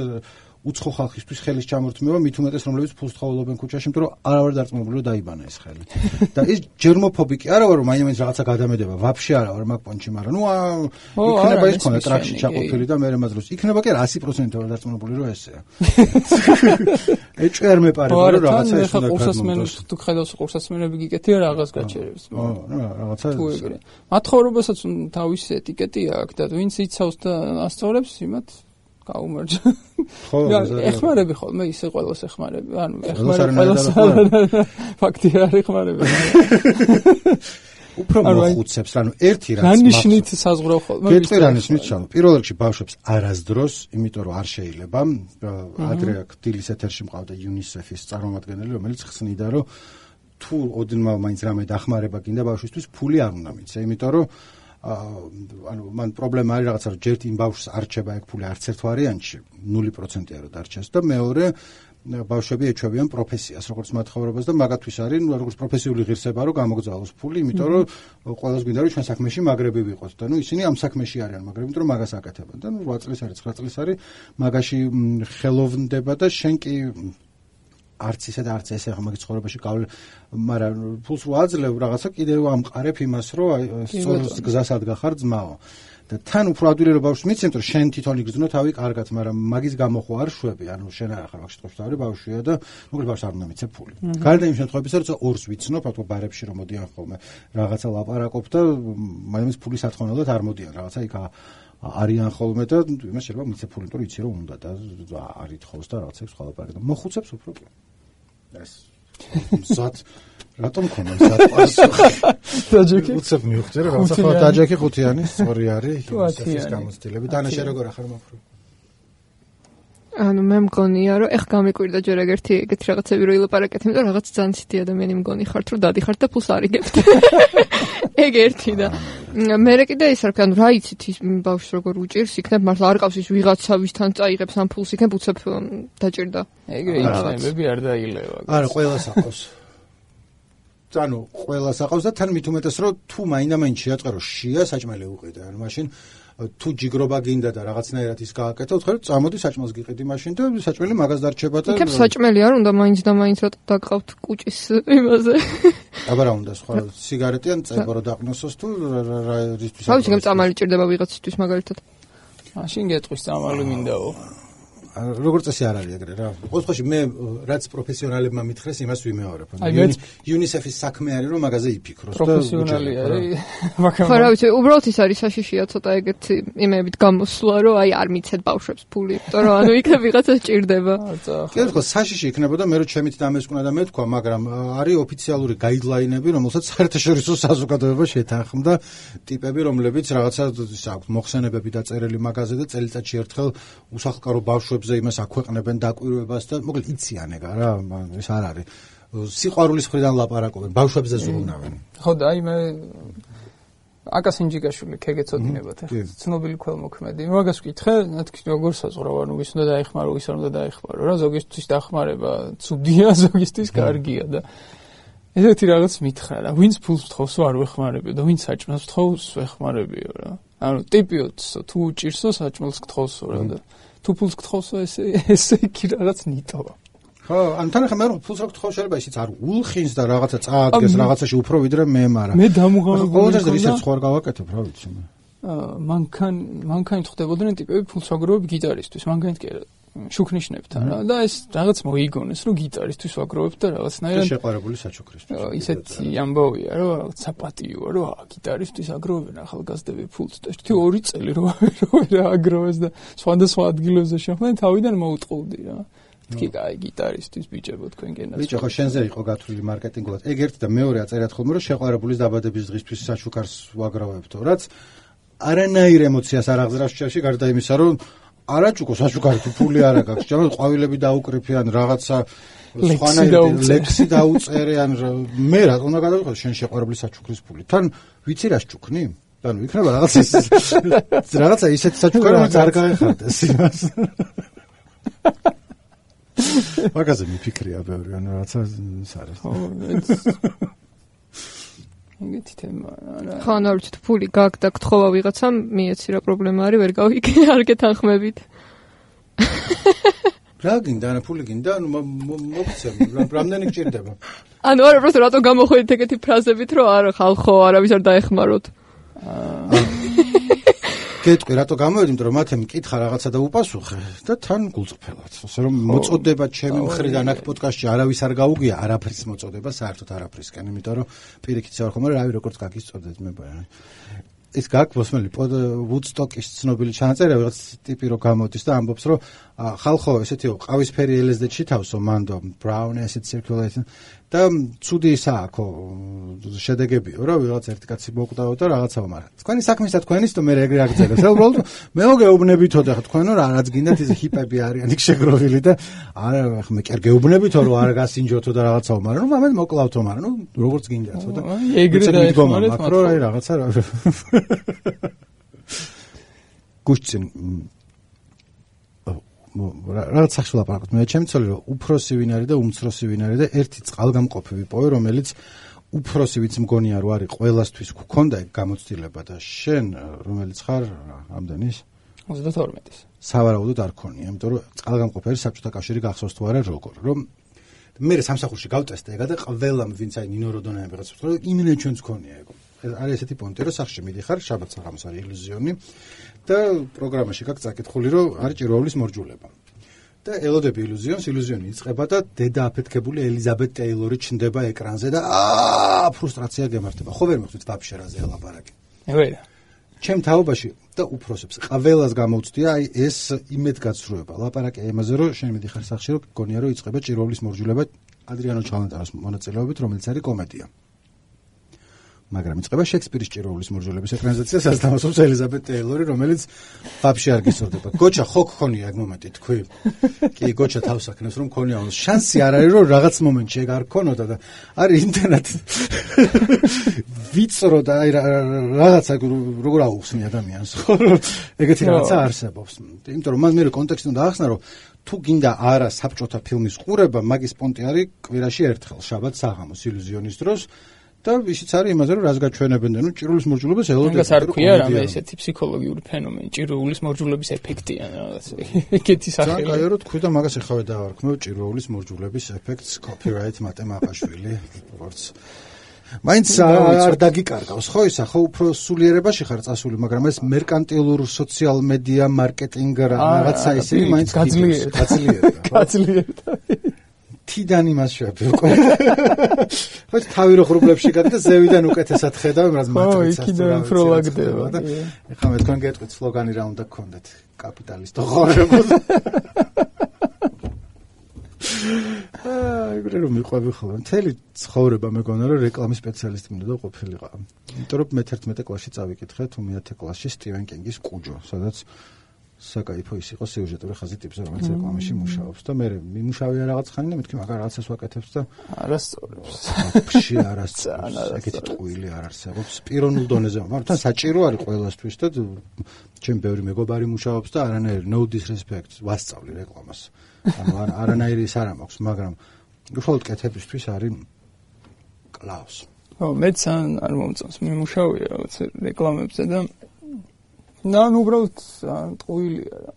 უცხო ხალხისთვის ხელის ჩამორთმევა, მით უმეტეს რომლებიც ფულს თხოვლობენ ქუჩაში, იმიტომ რომ არ ვარ დარწმუნებული რომ დაიბანა ეს ხელი. და ის ჯერმოფობიკი არა ვარ რომ მაინც რაღაცა გადამედება, ვაფშე არა ვარ მაგ პონჩი, მაგრამ ნუ იქნება ის ხონა ტრაქში ჩაყოფილი და მე რემაძროს. იქნება კი არა one hundred percent ვარ დარწმუნებული რომ ესეა. ეჭვი არ მეპარება რომ რაღაცა ეს უნდა გადმოგვდეს. თუ ხედავს ყურსასმენები გიკეთია რაღაც გაჩერებს. ო, რაღაცა. მათხოვრებასაც თავისი ეტიკეტი აქვს და ვინც იცავს და ასწორებს იმათ გაუმარჯვა. ხო, ეხმარები ხოლმე ისე ყველას ეხმარები. ანუ ეხმარები ყველას. ფაქტია არ ეხმარები. უფრო მოხუცებს, ანუ ერთი რაც რანიშნით საზღვრავ ხოლმე. გეტყვირანის მიცალ. პირველ რიგში ბავშვებს არასდროს, იმიტომ რომ არ შეიძლება. ადრე აქ დილის ეთერში მყავდა UNICEF-ის წარმომადგენელი, რომელიც ხსნიდა, რომ თუ ოდნავ მაინც რამე დახმარება გინდა ბავშვისთვის, ფული არ უნდა მიცე, იმიტომ რომ ანუ მან პრობლემა არის რაღაცა რომ ჯერ იმ ბავშვს არ რჩება ეგ ფული არც ერთ ვარიანტში null პროცენტია რომ დარჩეს და მეორე ბავშვები ეჩვევიან პროფესიას როგორც მათხოვრებას და მაგათთვის არის ნუ როგორც პროფესიული ღირსება რომ გამოგზავნოს ფული იმიტომ რომ ყველას გვინდა რომ ჩვენ საქმეში მაგრები ვიყოთ და ნუ ისინი ამ საქმეში არიან მაგრები იმიტომ რომ მაგას აკეთებენ და ნუ რვა წლის არის ცხრა წლის არის მაგაში ხელოვნება და შენ კი არც ისე და არც ესე ხომ მაგის ცხოვრებაში გავლ მაგრამ ფულს ვაძლევ რაღაცა კიდევ ამყარებ იმას რომ სწორ გზას ადგახარ ძმაო და თან უფრო ადვილი რომ ბავშვს მიცემთ რომ შენ თვითონ იგრძნო თავი კარგად მაგრამ მაგის გამო ხო არ შვები ანუ შენ არ ახარ მაგ შემთხვევაში თავი ბავშვია და მოკლედ ბავშვს არ უნდა მიცე ფული გარდა იმ შემთხვევებისა რომ ორს ვიცნობ თქო ბარებში რომ მოდიან ხოლმე რაღაცა ლაპარაკობ და მაინც ფულის სათხოვნელად არ მოდიან რაღაცა იქ არიან ხოლმე და იმას შეიძლება მიცე ფული იმიტომ რომ იცი რომ უნდა და არ ითხოვს და რაღაცებს ხალაპარაკ და მოხუცებს უფრო კი ეს მზად რატომ ქონა მზად პასუხი დაჯექი უცებ მივხვდი რა რაღაცა ხო დაჯექი ხუთიანი სწორი არის ის გამოცდილები დანაშე როგორ ახარ მაფრო ანუ მე მგონია რომ ეხ გამიკვირდა ჯერ ეგერთი ეგეთი რაღაცები რო ილაპარაკეთ იმიტომ რომ რაღაც ძალიან ცივი ადამიანი მგონი ხართ რომ დადიხართ და ფულს არიგებთ ეგ ერთი და მე კიდე ის არ ვქნა რა იცით ის ბავშვს როგორ უჭირს იქნებ მართლა არ ყავს ის ვიღაცა ვისთან წაიღებს ამ ფულს იქნებ უცებ დაჭირდა ეგრე იცემები არ დაილევა არა ყველას აყავს ანუ ყველას აყავს და თან მით უმეტეს რომ თუ მაინდა-მაინც შეაწყერო შია საჭმელი უყიდე ანუ მაშინ თუ ჯიგრობა გინდა და რაღაცნაირად ის გააკეთო, ხარ წამოდი საჭმელს გიყიდი მაშინ და საჭმელი მაგას დარჩება და იქ საჭმელი არ უნდა მაინც და მაინც რა დაგყავთ კუჭის იმაზე. აბა რა უნდა სხვა სიგარეტი ან წება რომ დაყნოსოს თუ რა რისთვის რა ვიცი გამ წამალი ჭირდება ვიღაცისთვის მაგალითად. მაშინ გეტყვის წამალი მინდაო. როგორც წესი არ არის ეგრე რა. ყოველ შემთხვევაში მე რაც პროფესიონალებმა მითხრეს, იმას ვიმეორებ. UNICEF-ის საქმე არის რომ მაგაზე იფიქროს და პროფესიონალი არის. ხო რა ვიცი, უბრალოდ ის არის საშიშია ცოტა ეგეთი იმეებით გამოსვლა, რომ აი არ მიცეთ ბავშვებს ფული, იმიტომ რომ ანუ იქ ვიღაცა ჭირდება. კი ხო, საშიში იქნებოდა მე რომ ჩემით დამესკვნა და მეთქვა, მაგრამ არის ოფიციალური გაიდლაინები, რომელსაც საერთაშორისო საზოგადოება შეთანხმდა ტიპები, რომლებიც რაღაცა ის აქვს მოხსენებები დაწერილი მაგაზე და წელიწადში ერთხელ უსახლკარო ბავშვებს იმას აქვეყნებენ დაკვირვებას და მოკლედ იციან ეგა რა ეს არ არის სიყვარულის მხრიდან ლაპარაკობენ ბავშვებზე ზრუნავენ ხო და აი მე აკას ინჯიკაშვილი ქეგეცოდინებათ ახლა ცნობილი ქველმოქმედი მაგას ვკითხე მეთქი როგორ საზღვრავ ანუ ვის უნდა დაეხმარო ვის არ უნდა დაეხმარო რა ზოგისთვის დახმარება ცუდია ზოგისთვის კარგია და ესეთი რაღაც მითხრა რა ვინც ფულს თხოვს არ ვეხმარებიო და ვინც საჭმელს თხოვს ვეხმარებიო რა ანუ ტიპიოთ თუ უჭირსო საჭმელს გთხოვსო რა და თუ ფულს გთხოვსო ესე ესე კი რაღაც ნიტოა ხო ან თან ხა მე ფულს რო გთხოვ შეიძლება ისიც არ ულხინს და რაღაცა წააგდეს რაღაცაში უფრო ვიდრე მე მაგრამ მე დამუღებული ყოველთვის ისეთ სხვა გავაკეთებ რა ვიცი მე მანქან მანქანით ხდებოდნენ ტიპები ფულს ვაგროვებ გიტარისტვის მანქანით კი შუქნიშნებთან რა და ეს რაღაც მოიგონეს რომ გიტარისტვის ვაგროვებ და რაღაცნაირად შეყვარებული საჩუქრისთვის ისეთი ამბავია რომ რაღაც საპატიოა რომ გიტარისტვის აგროვებენ ახალგაზრდები ფულს და ერთი ორი წელი რო რა აგროვეს და სხვადასხვა ადგილებზე შეხვდნენ თავიდან მოუტყუდი რა თქი კაი გიტარისტის ბიჭებო თქვენ გენას ბიჭო ხო შენზე იყო გათვლილი მარკეტინგულად ეგ ერთი და მეორე აწერათ ხოლმე რომ შეყვარებულის დაბადების დღისთვის საჩუქარს ვაგროვებთო რაც არანაირ ემოციას არ აღზრავს ჭერში გარდა იმისა რომ არაჭუკო საჩუქარი თუ ფული არ აქვს ჯამალ ყვავილები დაუკრიფიან რაღაცა სხვანაირ ლექსი დაუწერე ან მე რა უნდა გადავიყო შენ შეყვარებულის საჩუქრის ფული თან ვიცი რა შჩუქნი ანუ იქნება რაღაცა რაღაცა ისეთი საჩუქარი რომელიც არ გაეხარდეს იმას მაგაზე მიფიქრია ბევრი ანუ რაღაცა ის არის ეგეთი თემა რა ხო ანუ არ ვიცი ფული გაქვს და გთხოვა ვიღაცამ მიეცი რა პრობლემა არის ვერ გავიგე არ გეთანხმებით რა გინდა, ანა ფული გინდა, ანუ მოგცემ, რამდენი გჭირდება? ანუ არა, просто რატო გამოხვედით ეგეთი ფრაზებით, რომ არა ხალხო, არავის არ დაეხმაროთ. გეტყვი რატო გამოვედი, იმიტომ რომ მათე მკითხა რაღაცა და უპასუხე და თან გულწრფელად. ასე რომ მოწოდება ჩემი მხრიდან აქ პოდკასტში არავის არ გაუგია, არაფრის მოწოდება საერთოდ არაფრისკენ, იმიტომ რომ პირიქით ვარ ხომ, რავი როგორც გაგისწოდეთ მე ბა. ის გაგვოსმელი ვუდსტოკის ცნობილი ჩანაწერი რაღაც ტიპი რო გამოდის და ამბობს რომ ხალხო ესეთი ყავისფერი ელ ეს დი-ში თავსო მანდო brown acid circulation და ცუდი ისააქო შედეგებიო რა ვიღაც ერთი კაცი მოკვდაო და რაღაცაო მაგრამ თქვენი საქმისა თქვენის და მე ეგრე აგძელებს რა უბრალოდ მე მოგეუბნებითო და თქვენო რა რაც გინდათ ის ჰიპები არიან იქ შეგროვილი და არა მე კი არ გეუბნებითო რომ არ გასინჯოთო და რაღაცაო მაგრამ ნუ ამეთ მოკლავთო მაგრამ ნუ როგორც გინდათო და ეგრე დაეხმარეთ მაქრო რა რაღაცა რა გუშინ რაღაც სახში ლაპარაკობთ მე ჩემი ცოლი რომ უფროსი ვინ არის და უმცროსი ვინ არის და ერთი წყალგამყოფი ვიპოვე რომელიც უფროსი ვიც მგონია რომ არის ყველასთვის გქონდა ეგ გამოცდილება და შენ რომელიც ხარ ამდენის ოცდათორმეტის სავარაუდოდ არ ქონია იმიტომ რომ წყალგამყოფი არის საბჭოთა კავშირი გახსოვს თუ არა როგორ რომ მე სამსახურში გავტესტე ეგა და ყველამ ვინც აი ნინო როდონაი ვიღაცა ვთქვა რომ იმინე ჩვენც ქონია ეგ არის ესეთი პონტი რომ სახში მიდიხარ შაბათ საღამოს არის ილუზიონი და პროგრამაში გაქვს წაკითხული რომ არის ჭირვაულის მორჯულება და ელოდები ილუზიონს ილუზიონი იწყება და დედა აფეთქებული ელიზაბეთ ტეილორი ჩნდება ეკრანზე და აა ფრუსტრაცია გემართება ხო ვერ მოხდით ვაფშე რაზე ლაპარაკი ვერა ჩემ თაობაში და უფროსებს ყველას გამოვწდია აი ეს იმედგაცრუება ლაპარაკი იმაზე რომ შენ მიდიხარ სახში რომ გონია რომ იწყება ჭირვაულის მორჯულება ადრიანო ჩალანტაროს მონაწილეობით რომელიც არის კომედია მაგრამ იწყება შექსპირის ჭირვაულის მორჯულების ეკრანიზაცია სასტამასობს ელიზაბეთ ტეილორი რომელიც ვაფშე არ გისურვდება გოჩა ხო გქონია ეგ მომენტი თქვი კი გოჩა თავს აქნევს რომ გქონია შანსი არ არის რომ რაღაც მომენტში ეგ არ გქონოდა და არის ინტერნეტ ვიწრო და აი რაღაცა როგორ აუხსნი ადამიანს ხო ეგეთი რაღაცა არსებობს იმიტომ რომ მან მე კონტექსტი უნდა ახსნა რომ თუ გინდა არა საბჭოთა ფილმის ყურება მაგის პონტი არის კვირაში ერთხელ შაბათ საღამოს ილუზიონის დროს და ისიც არის იმაზე რომ რას გაჩვენებენ და ნუ ჭირვაულის მორჯულებას ელოდები. მაგას არ ქვია რამე ესეთი ფსიქოლოგიური ფენომენი, ჭირვაულის მორჯულების ეფექტი ან რაღაც ეგეთი სახელი. ძალიან კაი რომ თქვი და მაგას ეხავე დავარქმევ ჭირვაულის მორჯულების ეფექტს copyright მატემაყაშვილი როგორც მაინც არ დაგიკარგავს ხო ისა ხო უფრო სულიერებაში ხარ წასული მაგრამ ეს მერკანტილურ სოციალ მედია მარკეტინგ რაღაცა ისე მაინც გაძლიერდა გაძლიერდა გაძლიერდა თიდან იმას შევფიქრე. ხო თავი რო ხრუბლებში გადა ზევიდან უკეთესად ხედავ რაც მატრიცას. ო იქიდან ფროლაგდება და ეხლა მე თქვენ გეტყვით სლოგანი რა უნდა გქონდეთ კაპიტალისტო ღორებოდ. აა ეგრე რომ მიყვები ხოლმე მთელი ცხოვრება მეგონა რომ რეკლამის სპეციალისტი მინდოდა ყოფილიყო. იმიტომ რომ მეთერთმეტე კლასში წავიკითხე თუ მეათე კლასში სტივენ კინგის კუჯო სადაც საკაიფო ის იყო სიუჟეტური ხაზი ტიპზე რომელიც რეკლამაში მუშაობს და მე მიმუშავია რაღაც ხანი და მეთქი მაგარ რაღაცას ვაკეთებს და არასწორებს ფში არასწორებს ეგეთი ტყუილი არ არსებობს პიროვნულ დონეზე მაგრამ თან საჭირო არის ყველასთვის და ჩემ ბევრი მეგობარი მუშაობს და არანაირი no disrespect ვასწავლი რეკლამას ანუ არანაირი ის არ მაქვს მაგრამ უშუალოდ კეთებისთვის არის კლაუს ო მეც არ მომწონს მიმუშავია რაღაც რეკლამებზე და ნან უბრალოდ ტყუილია რა.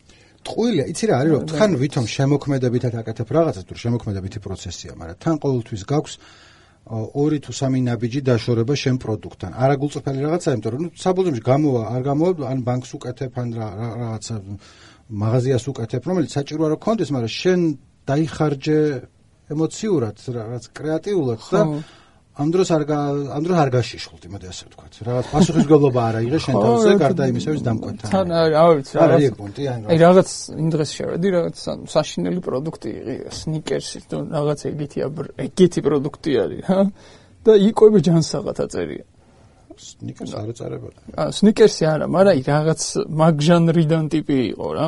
ტყუილია, იცი რა არის რომ თან ვითომ შემოქმედებითად აკეთებ რაღაცას, თუ შემოქმედებითი პროცესია, მაგრამ თან ყოველთვის გაქვს ორი თუ სამი ნაბიჯი დაშორება შენ პროდუქტთან. არა გულწრფელი რაღაცა, იმიტომ რომ ნუ საბოლოოში გამოვა, არ გამოვა, ან ბანკს უკეთებ, ან რაღაცა მაღაზიას უკეთებ, რომელიც საჭირო არ გქონდეს, მაგრამ შენ დაიხარჯე ემოციურად, რაღაც კრეატიულად და ამ დროს არ ამ დროს არ გაშიშხულთ, იმედი ასე ვთქვათ. რაღაც პასუხისმგებლობა არ აიღე შენ თავზე, გარდა იმისა, ვის დამკვეთთან. თან ავიც რა არის პონტი ან აი რაღაც იმ დღეს შევედი, რაღაც საშინელი პროდუქტი იყო, სნიკერსი, თუ რაღაც ეგეთი ეგეთი პროდუქტი არის, ჰა? და იყვები ჯანსაღად აწერია. სნიკერსი არ ეწარებოდა. აა სნიკერსი არა, მაგრამ აი რაღაც მაგ ჟანრიდან ტიპი იყო რა.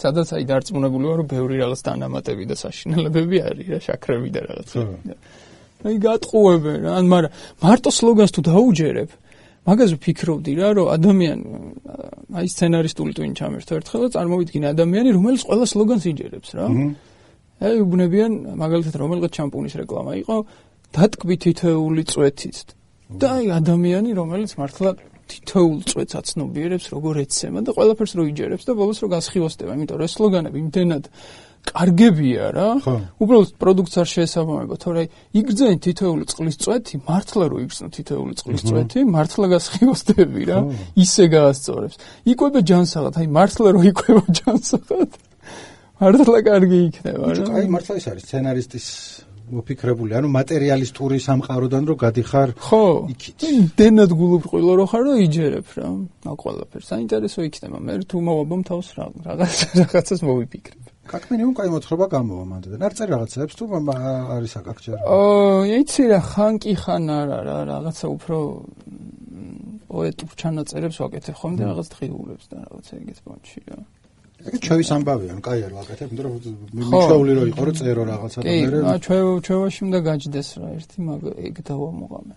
სადაც აი დარწმუნებული ვარ, რომ ბევრი რაღაც დანამატები და საშინელებები არის რა, შაქრები და რაღაცა. აი გატყუებენ რა, ან მაგრამ მარტო სლოგანს თუ დაუჯერებ, მაგაზე ვფიქრობდი რა, რომ ადამიანი აი სცენარისტული ტვინი ჩამერთო ერთხელ და წარმოვიდგინე ადამიანი, რომელიც ყველა სლოგანს იჯერებს რა. აი უბნებიან მაგალითად რომელიღაც შამპუნის რეკლამა იყო, დატკბი თითოეული წვეთით. და აი ადამიანი, რომელიც მართლა თითოეულ წვეთს აცნობიერებს როგორ ეცემა და ყველაფერს რო იჯერებს და ბოლოს რო გასხივოსდება, იმიტომ რომ ეს სლოგანები იმდენად კარგებია რა. უბრალოდ პროდუქტს არ შეესაბამება, თორე იგრძენ თითოეული წყლის წვეთი, მართლა რო იგრძნო თითოეული წყლის წვეთი, მართლა გასხივოსდები რა, ისე გაასწორებს. იკვება ჯანსაღად, აი მართლა რო იკვება ჯანსაღად. მართლა კარგი იქნება რა. აი მართლა ეს არის სცენარისტის მოფიქრებული, ანუ მატერიალისტური სამყაროდან რო გადიხარ იქით. ხო, იმდენად გულუბრყვილო რო ხარ და იჯერებ რა, მაგ ყველაფერს. საინტერესო იქნება, მე თუ მოვაბამ თავს რა, რაღაც რაღაცას მოვიფიქრებ. Как минимум, кай მოთხრობა გამოვა მანდ. არ წერ რაღაცებს თუ არის აკაკჯერ. ო, იცი რა, ხან კი ხან არა რა, რაღაცა უფრო პოეტურ ჩანაწერებს ვაკეთებ ხოლმე რაღაც დღიურებს და რაღაცა ეგეთ პონჩი რა. ეგ ჩვევის ამბავია, ანუ კაი არ ვაკეთებ, იმიტომ რომ მიჩვეული რო იყო, რომ წერო რაღაცა და მე. კი, ჩვევ ჩვევაში უნდა გაჯდეს რა, ერთი მაგ ეგ დავამოღამე.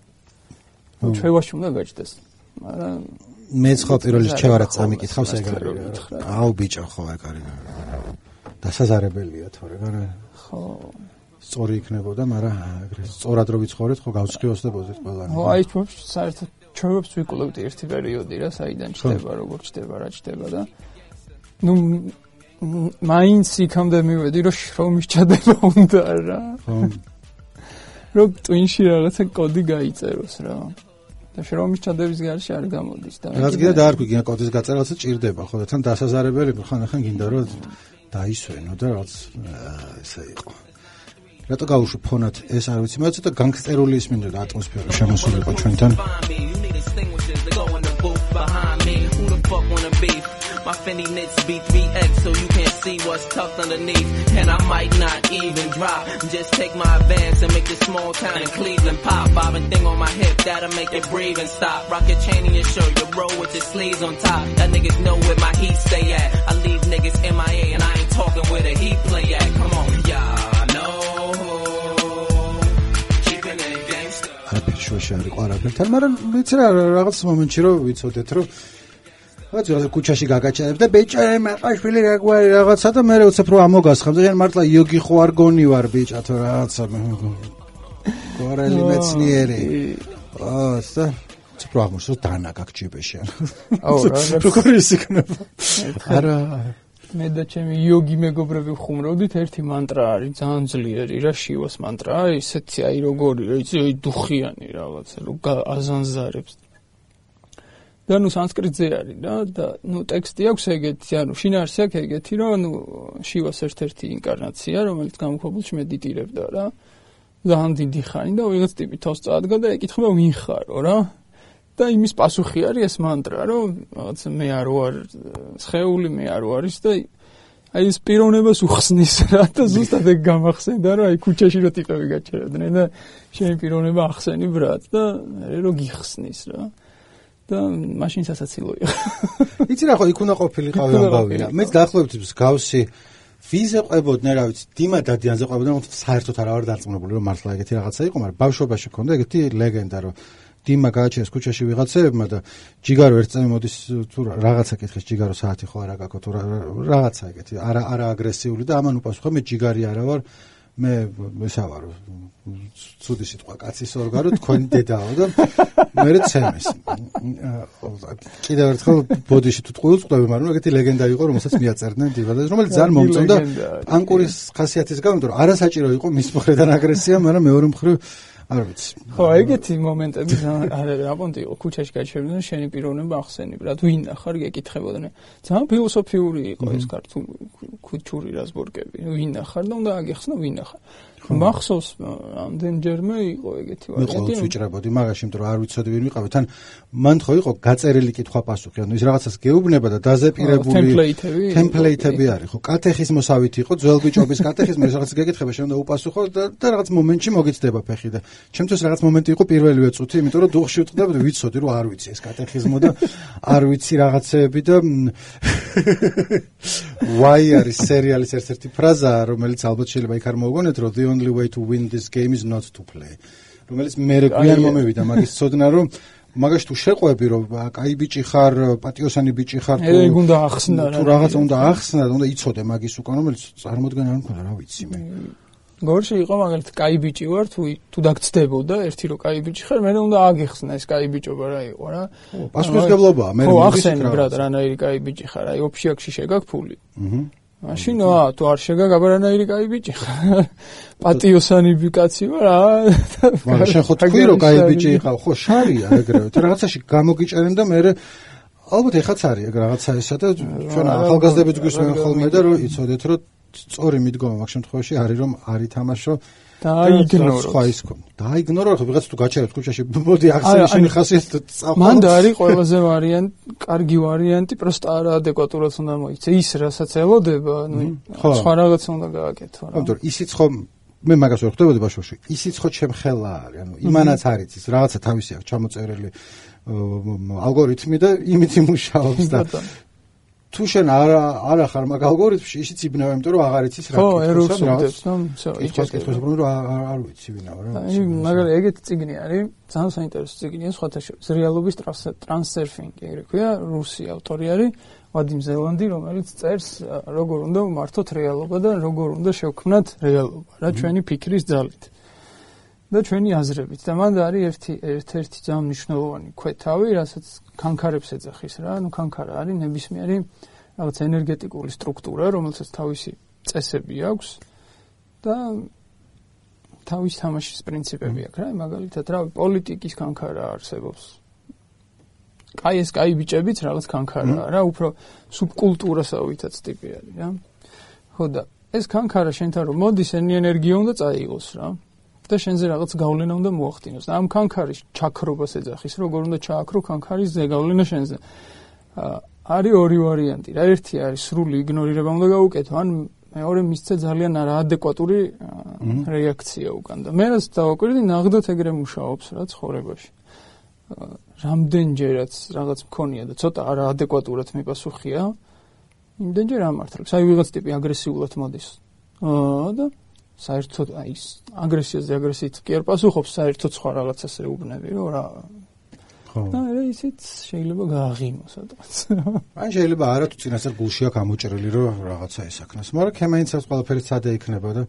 ჩვევაში უნდა გაჯდეს. მაგრამ მეც ხო პირველ რიგში ჩევარად წამიკითხავს ეგ არის. აუ ბიჭო ხო ეგ არის. დასაზარებელია თორე რა. ხო. სწორი იქნებოდა, მაგრამ ეგრე სწორად რო ვიცხოვრეთ, ხო გავსხიოსდებოდეთ ყველანი. ხო, აი ჩვენ საერთოდ ჩვენებს ვიკვლევთ ერთი პერიოდი რა, საიდან ჩდება, როგორ ჩდება, რა ჩდება და ნუ მაინც იქამდე მივედი, რომ შრომის ჩადება უნდა რა. ხო. რომ ტვინში რაღაცა კოდი გაიწეროს რა. და შრომის ჩადების გარშე არ გამოდის და რაც კიდე დაარქვი, გინდა კოდის გაწერა, რაღაცა ჭირდება, ხო და თან დასაზარებელი ხან-ხან გინდა რომ დაისვენო და რაც ესე იყო. რატო გავუშვი ფონად ეს არ ვიცი, მაგრამ ცოტა განგსტერული ისმინდა ატმოსფერო შემოსულიყო ჩვენთან. My Fendi knits B three X so you can't see what's tucked underneath. And I might not even drop. Just take my advance and make this small town in Cleveland pop. Bobbing thing on my hip that'll make it breathe and stop. Rock your chain in your shirt, your roll with your sleeves on top. That niggas know where my heat stay at. I leave niggas M I A and I ain't talking where the heat play at. Come on, y'all know. Keeping it gangster. I picture შარი ყარაფერთან, მაგრამ ვიცი რა რაღაც მომენტში რომ ვიცოდეთ რომ რაც კუჩაში გაგაჩერებ და ბიჭო მაყაშვილი რაგვარი რაღაცა და მე უცებ რომ ამოგასხამ და მართლა იოგი ხო არ გონი ვარ ბიჭა თუ რაღაცა გორელი მეცნიერი აა და უცებ რომ ამოსო დანა გაგჭიბეში აუ რა როგორ ის იქნება არა მე და ჩემი იოგი მეგობრები ვხუმრობდით ერთი მანტრა არის ძალიან ძლიერი რა შივას მანტრა ისეთი აი როგორი იცი აი დუხიანი რაღაცა რომ აზანზარებს და ნუ სანსკრიტზე არის რა და ნუ ტექსტი აქვს ეგეთი, ანუ შინაარსი აქვს ეგეთი, რომ ნუ შივას ერთ-ერთი ინკარნაცია, რომელიც გამოქვაბულში მედიტირებდა რა. ძალიან დიდი ხანი და ვიღაც ტიპი თავს წაადგა და ეკითხება ვინ ხარო რა. და იმის პასუხი არის ეს მანტრა, რომ რაღაც მე არ ვარ სხეული, მე არ ვარ ის და აი ეს პიროვნებას უხსნის რა და ზუსტად ეგ გამახსენდა რომ აი ქუჩაში რო ტიპები გაჩერებდნენ და შენი პიროვნება ახსენი ბრატ და მე რო გიხსნის რა. და მაშინ სასაცილო იყო. იცი რა ხო იქ უნდა ყოფილიყავი ამბავი რა. მეც დაახლოებით გავსი ვიზე ყვებოდნენ, რა ვიცი, დიმა დადიანზე ყვებოდნენ, საერთოდ არა ვარ დარწმუნებული რომ მართლა ეგეთი რაღაცა იყო, მაგრამ ბავშვობაში ქონდა ეგეთი ლეგენდა რომ დიმა გააჩენს ქუჩაში ვიღაცებმა და ჯიგარო ერთ წამი მოდის თუ რაღაცა კითხეს ჯიგარო საათი ხო არა გაკო თუ რაღაცა ეგეთი არა არა აგრესიული და ამან უპასუხა მე ჯიგარი არა ვარ მე ესა ვარო ცუდი სიტყვა კაცის ორგანო თქვენი დედაო და მე ცემეს კიდევ ერთხელ ბოდიში თუ ტყუილს ყვები მაგრამ ეგეთი ლეგენდა იყო რომელსაც მიაწერდნენ დივადას რომელიც ძალიან მომწონდა პანკურის ხასიათის გამო რომ არასაჭირო იყო მის მხრიდან აგრესია მაგრამ მეორე მხრივ არ ვიცი. ხო, ეგეთი მომენტები არა რაპონტი იყო ქუჩაში გაჩერდნენ შენი პიროვნება ახსენებ რა თუ ვინ ახარ გეკითხებოდნენ. ძალიან ფილოსოფიური იყო ეს ქართული ქუჩური რაზბორკები. ვინ ახარ და უნდა აგეხსნა ვინ ახარ. მახსოვს ამდენჯერმე იყო ეგეთი ვარიანტი. მე ყოველთვის ვიჭრებოდი მაგაში, იმიტომ რომ არ ვიცოდი ვინ ვიყავი. თან მან ხო იყო გაწერილი კითხვა-პასუხი, ანუ ის რაღაცას გეუბნება და დაზეპირებული ტემპლეიტები. ტემპლეიტები არის, ხო, კატეხიზმოსავით იყო, ძველბიჭობის კატეხიზმი, რაღაც გეკითხება შეიძლება უპასუხო და და რაღაც მომენტში მოგიცდება ფეხი და ჩემთვის რაღაც მომენტი იყო პირველივე წუთი, იმიტომ რომ დუხში ვტყდებოდი, ვიცოდი რომ არ ვიცი ეს კატეხიზმო და არ ვიცი რაღაცეები და why არის სერიალის ერთ-ერთი ფრაზა, რომელიც ალბათ შეიძლება იქ არ მოგონეთ, რომ the only way to win this game is not to play. რომელიც მე გვიან მომევიდა მაგის ცოდნა, რომ მაგაში თუ შეყვები, რომ კაი ბიჭი ხარ, პატიოსანი ბიჭი ხარ, თუ ეგ უნდა ახსნა რა. თუ რაღაცა უნდა ახსნა, უნდა იცოდე მაგის უკან, რომელიც წარმოდგენა არ მქონდა, რა ვიცი მე. გორში იყო მაგალითად კაი ბიჭი ვარ, თუ თუ დაგწდებოდა ერთი რო კაი ბიჭი ხარ, მე უნდა აგიხსნა ეს კაი ბიჭობა რა იყო რა. პასუხისმგებლობაა, მე ხო, ახსენე ბრატ, რანაირი კაი ბიჭი ხარ, აი ოფშიაქში შეგაქვს ფული. აჰა. მაშინ აა თუ არ შეგაგ აბარანაირი კაი ბიჭი ხარ. პატიოსანი ბიკაცი ვარ რა. მაგრამ შენ ხო თქვი რომ კაი ბიჭი იყავ, ხო შარია ეგრევე. თუ რაღაცაში გამოგიჭერენ და მე ალბათ ეხაც არის ეგ რაღაცა ესა და ჩვენ ახალგაზრდებით გვისმენ ხოლმე და რომ იცოდეთ რომ სწორი მიდგომა მაგ შემთხვევაში არის რომ არ ითამაშო დაიგნოროთ. სხვა ის ხო. დაიგნორო ხო ვიღაც თუ გაჩერებ ქუჩაში მოდი ახსენე შენი ხასიათი წავ. მანდა არის ყველაზე ვარიანტი, კარგი ვარიანტი, პროსტა არაადეკვატურად უნდა მოიქცე. ის რასაც ელოდება, ნუ სხვა რაღაც უნდა გააკეთო რა. ანუ ისიც ხო მე მაგას ვერ ხვდებოდი ბავშვობაში. ისიც ხო ჩემ ხელა არის. ანუ იმანაც არის ის რაღაცა თავისი აქვს ჩამოწერილი ალგორითმი და იმით იმუშავებს და თუ შენ არ არ ახარ მაგ ალგორითმში ისიც იბნევა, იმიტომ რომ აღარ იცის რა. ხო, ეროს უდებს, ნუ всё, იჭას კითხვის უბრალოდ რომ არ ვიცი ვინა რა. აი, მაგალითად ეგეთი წიგნი არის, ძალიან საინტერესო წიგნია სხვათა შორის. რეალობის ტრანსერფინგი, ეგრე ქვია, რუსი ავტორი არის, ვადიმ ზელანდი, რომელიც წერს როგორ უნდა ვმართოთ რეალობა და როგორ უნდა შევქმნათ რეალობა, რა ჩვენი ფიქრის ძალით. და ჩვენი აზრებით. და მანდ არის ერთი ერთ-ერთი ძალიან მნიშვნელოვანი ქვეთავი, რასაც ქანქარებს ეძახის რა. ანუ ქანქარა არის ნებისმიერი რაღაც ენერგეტიკული სტრუქტურა, რომელსაც თავისი წესები აქვს და თავის თამაშის პრინციპები აქვს რა. მაგალითად, რა პოლიტიკის ქანქარა არსებობს. კაი ეს კაი ბიჭებიც რაღაც ქანქარაა რა, უფრო სუბკულტურასავითაც ტიპი არის რა. ხო და ეს ქანქარა შენთან რომ მოდის, ენერგია უნდა წაიღოს რა. და შენზე რაღაც გავლენა უნდა მოახდინოს. და ამ ქანქარის ჩაქრობას ეძახის, როგორ უნდა ჩააქრო ქანქარის ზეგავლენა შენზე. არის ორი ვარიანტი. რა ერთი არის სრული იგნორირება უნდა გაუკეთო, ან მეორე მისცე ძალიან არაადეკვატური რეაქცია უკან. და მე რაც დავაკვირდი, ნაღდათ ეგრე მუშაობს რა ცხოვრებაში. რამდენჯერაც რაღაც მქონია და ცოტა არაადეკვატურად მიპასუხია, იმდენჯერ ამართლებს. აი ვიღაც ტიპი აგრესიულად მოდის. აა და საერთოდ აი ეს აგრესიაზე აგრესიით კი არ პასუხობს, საერთოდ სხვა რაღაცას ეუბნები, რომ რა. ხო. და ისიც შეიძლება გააღიმოს სადღაც. ან შეიძლება არა თუ წინასწარ გულშია გამოჭრილი რომ რაღაცა ესაქნას, მაგრამ ქემაინცას ყველაფერი სადა იქნება და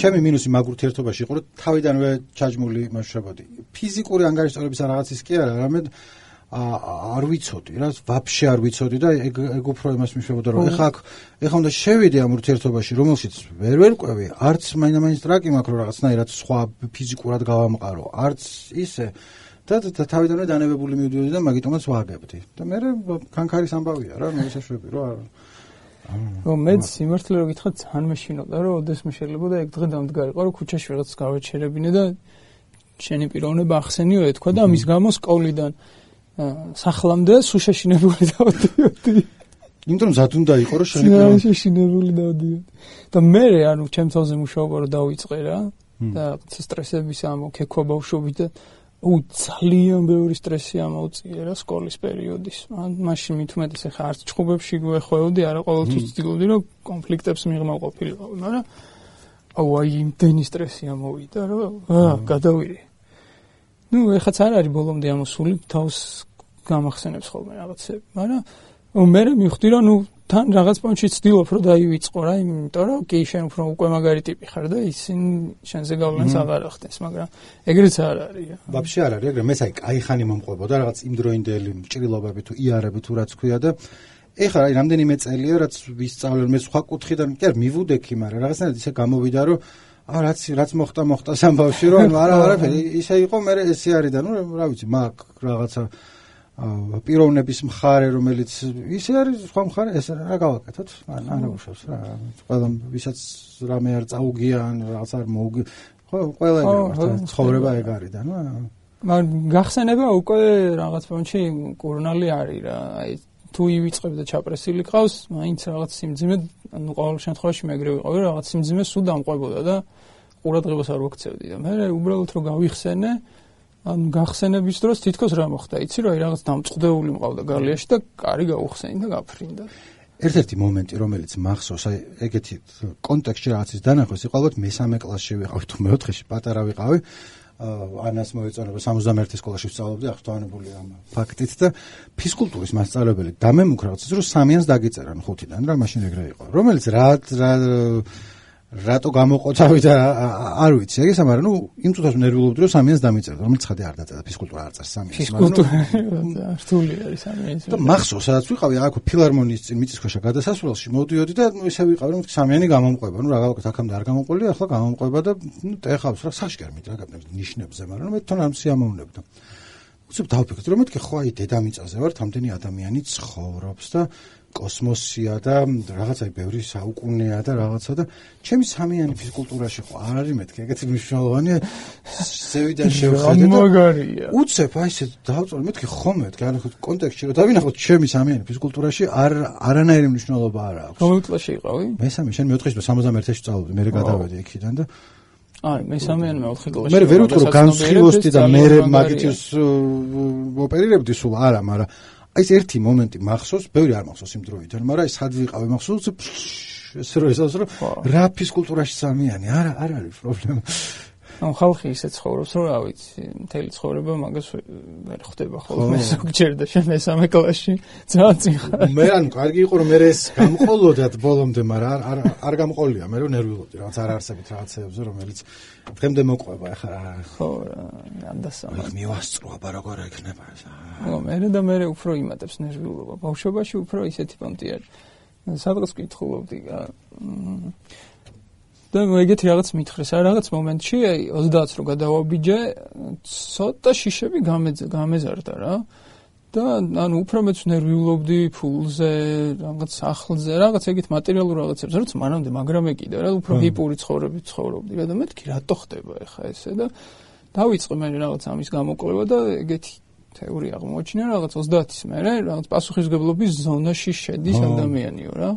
ჩემი მინუსი მაგ ურთიერთობაში იყო, რომ თავიდანვე ჩაჯმული მაშრებოდი. ფიზიკური ანგარიშწორების რაღაცის კი არა, არამედ არ ვიცოდი რა, ვაფშე არ ვიცოდი და ეგ ეგ უფრო იმას მიშებოდა რომ ეხა ეხა უნდა შევიდე ამ ურთიერთობაში, რომელშიც ვერ ვერკვევი, არც მაინდა-მაინც ტრაკი მაქვს რომ რაღაცნაირად სხვა ფიზიკურად გავამყარო, არც ისე და თავიდანვე დანებებული მივდიოდი და მაგიტომაც ვაგებდი. და მე ქანქარის ამბავია რა, მე შეშვები რა. რომ მე სიმართლე რომ გითხრათ, ძალიან მეშინოდა რომ ოდესმე შეიძლებოდა ეგ დღე დამდგარიყო რომ ქუჩაში რაღაც გავეჩერებინე და შენი პიროვნება ახსენიო ეთქვა და ამის გამო სკოლიდან სახლამდე სუშაშინებული დავდიოდი. იმიტომ რომ ზად უნდა იყო რომ შენი პიროვნება სუშაშინებული დავდიოდი. და მე ანუ ჩემ თავზე მუშაობა რომ დავიწყე რა და სტრესების ამოქექვა ბავშვობით და უ ძალიან ბევრი სტრესი ამოუწია რა სკოლის პერიოდის. მაშინ მით უმეტეს ახლა არც ჭხუბებში გვეხვეოდი, არა ყოველთვის ვცდილობდი რომ კონფლიქტებს მიღმა ყოფილიყო, მაგრამ აუ აი იმდენი სტრესი ამოვიდა რომ აა გადავირი. ნუ ეხაც არ არის ბოლომდე ამოსული, თავს გამახსენებს ხოლმე რაღაცები, მაგრამ მე მივხვდი რომ ნუ თან რაღაც პონჩი ცდილობ რომ დაივიწყო რა, იმიტომ რომ კი შენ უფრო უკვე მაგარი ტიპი ხარ და ისინი შენზე გავლენას აღარ ახდენს, მაგრამ ეგრეც არ არის რა. ვაფშე არ არის, ეგრე მეც აი კაი ხანი მომყვებოდა რაღაც იმდროინდელი ჭრილობები თუ იარები თუ რაც ქვია და ეხლა აი რამდენიმე წელია რაც ვისწავლე მე სხვა კუთხიდან, კი არ მივუდექი, მაგრამ რაღაცნაირად ისე გამოვიდა რომ აა რაც რაც მოხდა მოხდა სამბავში რომ არა არაფერი ისე იყო, მე ესე არის და ნუ რა ვიცი, მაგ რაღაცა პიროვნების მხარე რომელიც ისე არის, სხვა მხარე ეს რა გავაკეთოთ? არა უშავს რა. ყველა ვისაც რამე არ წაუგია ან რაღაც არ მოუგი, ხო ყველა ეგრე ცხოვრება ეგ არის და ნუ მაგრამ გახსენება უკვე რაღაც პონჩი კურნალი არის რა. აი თუ ივიწყებ და ჩაპრესილი ყავს, მაინც რაღაც სიმძიმე, ანუ ყოველ შემთხვევაში მე ეგრე ვიყავი, რაღაც სიმძიმე სულ დამყვებოდა და ყურადღებას არ ვაქცევდი და მე უბრალოდ რომ გავიხსენე, ან გახსენების დროს თითქოს რა მოხდა, იცი რომ აი რაღაც დამწყდეული მყავდა გალიაში და კარი გაუხსენი და გაფრინდა. ერთ-ერთი მომენტი რომელიც მახსოვს, აი ეგეთი კონტექსტში რაღაცის დანახვის იყო, ალბათ მესამე კლასში ვიყავი თუ მეოთხეში, პატარა ვიყავი. ანას მოეწონება სამოცდამეერთე სკოლაში ვსწავლობდი, აღსტვანებული ამ ფაქტით და ფიზკულტურის მასწავლებელი დამემუქრა, რომ სამიანს დაგიწერან ხუთიდან რა, მაშინ ეგრე იყო. რომელიც რა რატო გამოყოთავი და არ ვიცი ეგ ესა, მაგრამ ნუ იმ წუთას ნერვიულობდი რომ სამიანს დამიწერდა, რომელიც ხადი არ დაწერდა, ფიზკულტურა არ წერს სამიანს. ფიზკულტურა რთული არის სამიანს. და მახსოვს, სადაც ვიყავი აქ ფილარმონიის წინ მიწისქვეშა გადასასვლელში, მოვდიოდი და ისე ვიყავი რომ სამიანი გამომყვება, ნუ რაღაცა აქამდე არ გამომყოლია, ახლა გამომყვება და ნუ ტეხავს რა საშკერმით რა გაგნებს ნიშნებზე, მაგრამ მე თვითონ არ სიამოვნებდა. უცებ დავფიქრდი რომ მეთქე ხო აი დედამიწაზე ვარ, თამდენი ადამიანი ცხოვრობს და კოსმოსია და რაღაცა ბევრი საუკუნეა და რაღაცა და ჩემი სამიანი ფიზკულტურაში ხო არ არის მეთქე ეგეთი მნიშვნელოვანია ზევიდან შევხედე და მაგარია უცებ აი ესე დავწოლე მეთქე ხო მეთქე არა ხო კონტექსტში რომ დავინახოთ ჩემი სამიანი ფიზკულტურაში არ არანაირი მნიშვნელობა არ აქვს. რომელ კლასში იყავი? მესამე, შენ მეოთხეში სამოცდამეერთში წავედი, მე გადავედი იქიდან და აი, მესამე ან მეოთხე კლასში. მე ვერ ვიტყვი რომ განსხილოსდი და მე მაგითის ოპერირებდი სულ არა, მაგრამ აი ეს ერთი მომენტი მახსოვს, ბევრი არ მახსოვს იმ დროიდან, მაგრამ აი სად ვიყავი მახსოვს, ესე რომ ესაუს რომ რა ფიზკულტურაში სამიანი, არა, არ არის პრობლემა. ამ ხალხი ისე ცხოვრობს, რომ რა ვიცი, მთელი ცხოვრება მაგას ვერ ხვდება ხოლმე ზოგჯერ და შენ მესამე კლასში ძალიან წინ ხარ. მე ანუ კარგი იყო რომ მე ეს გამყოლოდათ ბოლომდე, მაგრამ არ არ გამყოლია, მე რომ ნერვიულობდი რაღაც არ არსებით რაღაცეებზე, რომელიც დღემდე მოყვება ახლა. ხო რა, ამდასამა. მივასწრო აბა როგორ ექნება ეს. ხო, მე და მე უფრო იმატებს ნერვიულობა. ბავშვობაში უფრო ისეთი პონტი არის. სადღაც კითხულობდი და ეგეთი რაღაც მითხრეს, რა რაღაც მომენტში, აი ოცდაათს რო გადავაბიჯე, ცოტა შიშები გამეზარდა რა. და ანუ უფრო მეც ნერვიულობდი ფულზე, რაღაც სახლზე, რაღაც ეგეთ მატერიალურ რაღაცებზე, როცა მანამდე მაგრამ ეკიდა რა, უფრო ჰიპური ცხოვრებით ცხოვრობდი რა და მეთქი რატო ხდება ეხა ესე და დავიწყე მე რაღაც ამის გამოკვლევა და ეგეთი თეორია აღმოჩინა რაღაც ოცდაათის მერე, რაღაც პასუხისმგებლობის ზონაში შედის ადამიანიო რა.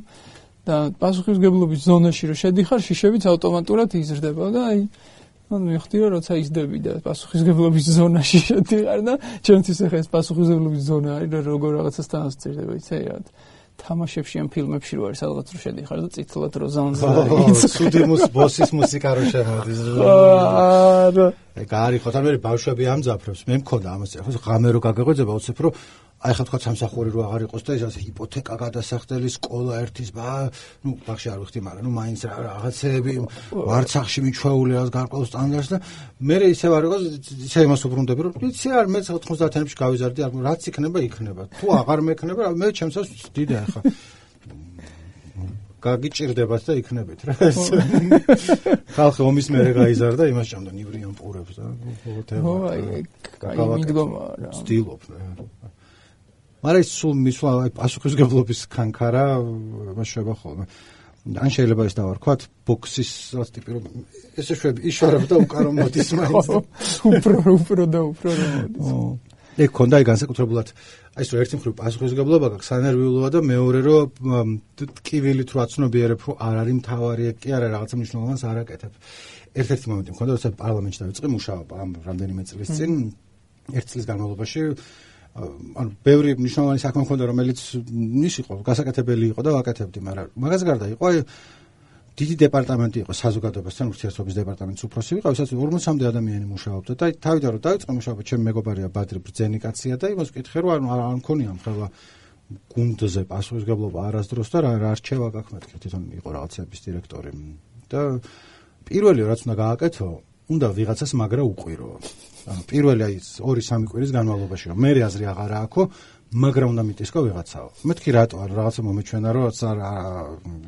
და პასუხისმგებლობის ზონაში რო შედიხარ, შიშებიც ავტომატურად იზრდება და აი ანუ მიხდი რომ როცა იზრდები და პასუხისმგებლობის ზონაში შედიხარ და ჩემთვის ახლა ეს პასუხისმგებლობის ზონა არის და როგორ რაღაცასთან ასწირდება, იცი რა. თამაშებში ან ფილმებში რო არის სადღაც რო შედიხარ და წითლად რო ზონზე არის. სუდიმუს ბოსის მუსიკა რო შემოდის. არა. ეგ არის ხო თამერი ბავშვები ამძაფრებს. მე მქონდა ამას ახლა ღამე რო გაგეღვეძება უცებ რო აი ხა თქვა სამსახური რო აღარ იყოს და ეს ასე ჰიპოთეკა გადასახდელი სკოლა ერთის ბა ნუ ბახში არ ვიხდი მაგრამ ნუ მაინც რაღაცეები ვარცახში მიჩვეული რაღაც გარკვეულ სტანდარტს და მე ისევ არ იყოს ისე იმას უბრუნდები რომ იცი არ მე ოთხმოცდაათიანებში გავიზარდი არ რაც იქნება იქნება თუ აღარ მექნება მე ჩემსაც ვწდიდე ახლა გაგიჭირდებათ და იქნებით რა ხალხი ომის მერე გაიზარდა იმას ჭამდა ნივრიან პურებს და ხო აი კაი მიდგომა რა ვწდილობ მაგრამ ის სულ მისვლა აი პასუხისმგებლობის კანკარა შეება ხოლმე. ან შეიძლება ის დავარქვათ ბოქსის რაღაც ტიპი რომ ესე შვები იშარებ და უკარო მოდის მაინც. უფრო უფრო და უფრო მოდის. ეგ ქონდა აი განსაკუთრებულად აი ეს ერთი მხრივ პასუხისმგებლობა გაქვს სანერვიულოა და მეორე რომ ტკივილით რო აცნობიერებ რომ არ არის მთავარი ეგ კი არა რაღაცა მნიშვნელოვანს არ აკეთებ. ერთ-ერთი მომენტი მქონდა როცა პარლამენტში დავიწყე მუშაობა ამ რამდენიმე წლის წინ ერთ წლის განმავლობაში ანუ ბევრი მნიშვნელოვანი საქმე მქონდა რომელიც ის იყო გასაკეთებელი იყო და ვაკეთებდი, მაგრამ მაგას გარდა იყო აი დიდი დეპარტამენტი იყო საზოგადოებასთან ურთიერთობის დეპარტამენტის უფროსი ვიყავ, სადაც ორმოცამდე ადამიანი მუშაობდა და თავიდან რომ დავიწყე მუშაობა, ჩემი მეგობარია ბადრი ბრძენი კაცია და იმას ვკითხე რომ ანუ არ მქონია მხელა გუნდზე პასუხისმგებლობა არასდროს და რა რჩევა გაქვს მეთქე თვითონ იყო რაღაცების დირექტორი და პირველი რაც უნდა გააკეთო უნდა ვიღაცას მაგრა უყვირო. ანუ პირველი აი ორი სამი კვირის განმავლობაში რომ მე აზრი აღარ აქვს, მაგრა უნდა მიტისკო ვიღაცაო. მეთქი რატო არ რაღაცა მომეჩვენა რომ რაც არ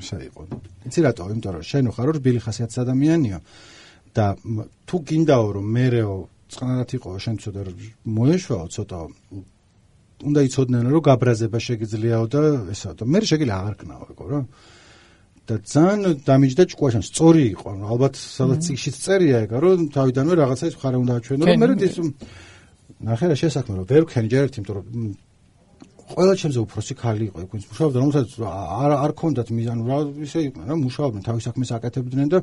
ისე იყო. იცი რატო? იმიტომ რომ შენ ხარ რბილი ხასიათის ადამიანია და თუ გინდაო რომ მერეო წყნარად იყო შენ ცოტა მოეშვაო ცოტა უნდა იცოდნენ რომ გაბრაზება შეგიძლიაო და ესა და მე შეგიძლია აღარ კნაო ეგო რა. და ძალიან დამიჯდა ჭკუაშან სწორი იყო, ალბათ სადაც ციხეშიც წერია ეგა, რომ თავიდანვე რაღაცა ის ხარა უნდა აჩვენო, რომ მე ის ნახე რა შესაქმე რომ ვერ ვქენი ჯერ ერთი, იმიტომ რომ ყველა ჩემზე უფროსი ქალი იყო, იქ ვინც მუშაობდა, რომელსაც არ არ ქონდათ მიზანი, რა ისე იყო, რა მუშაობდნენ, თავის საქმეს აკეთებდნენ და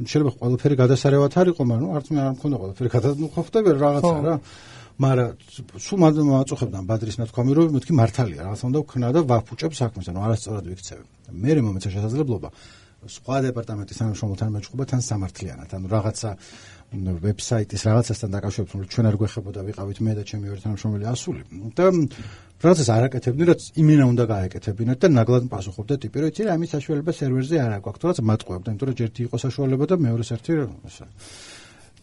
შეიძლება ყველაფერი გადასარევად არ იყო, მაგრამ არც მე არ მქონდა ყველაფერი გადადმოხვდები რაღაცა რა. მაგრამ სულ მაწუხებდნენ ბადრის ნათქვამი რომ მეთქი მართალია რაღაცა უნდა ვქნა და ვაფუჭებ საქმეს, ანუ არასწორად ვიქცევი. მე მომეცა შესაძლებლობა სხვა დეპარტამენტის თანამშრომელთან მეჭყობა თან სამართლიანად. ანუ რაღაცა ვებსაიტის რაღაცასთან დაკავშირებით, რომ ჩვენ არ გვეხებოდა ვიყავით მე და ჩემი ორი თანამშრომელი ასული. და რაღაცას არ აკეთებდნენ, რაც იმენა უნდა გააკეთებინათ და ნაგლად პასუხობდა ტიპი, რომ იცი რა, ამის საშუალება სერვერზე არ აქვს, თორემ მატყუებდა, იმიტომ რომ ერთი იყო საშუალება და მეორეს ერთი ესა.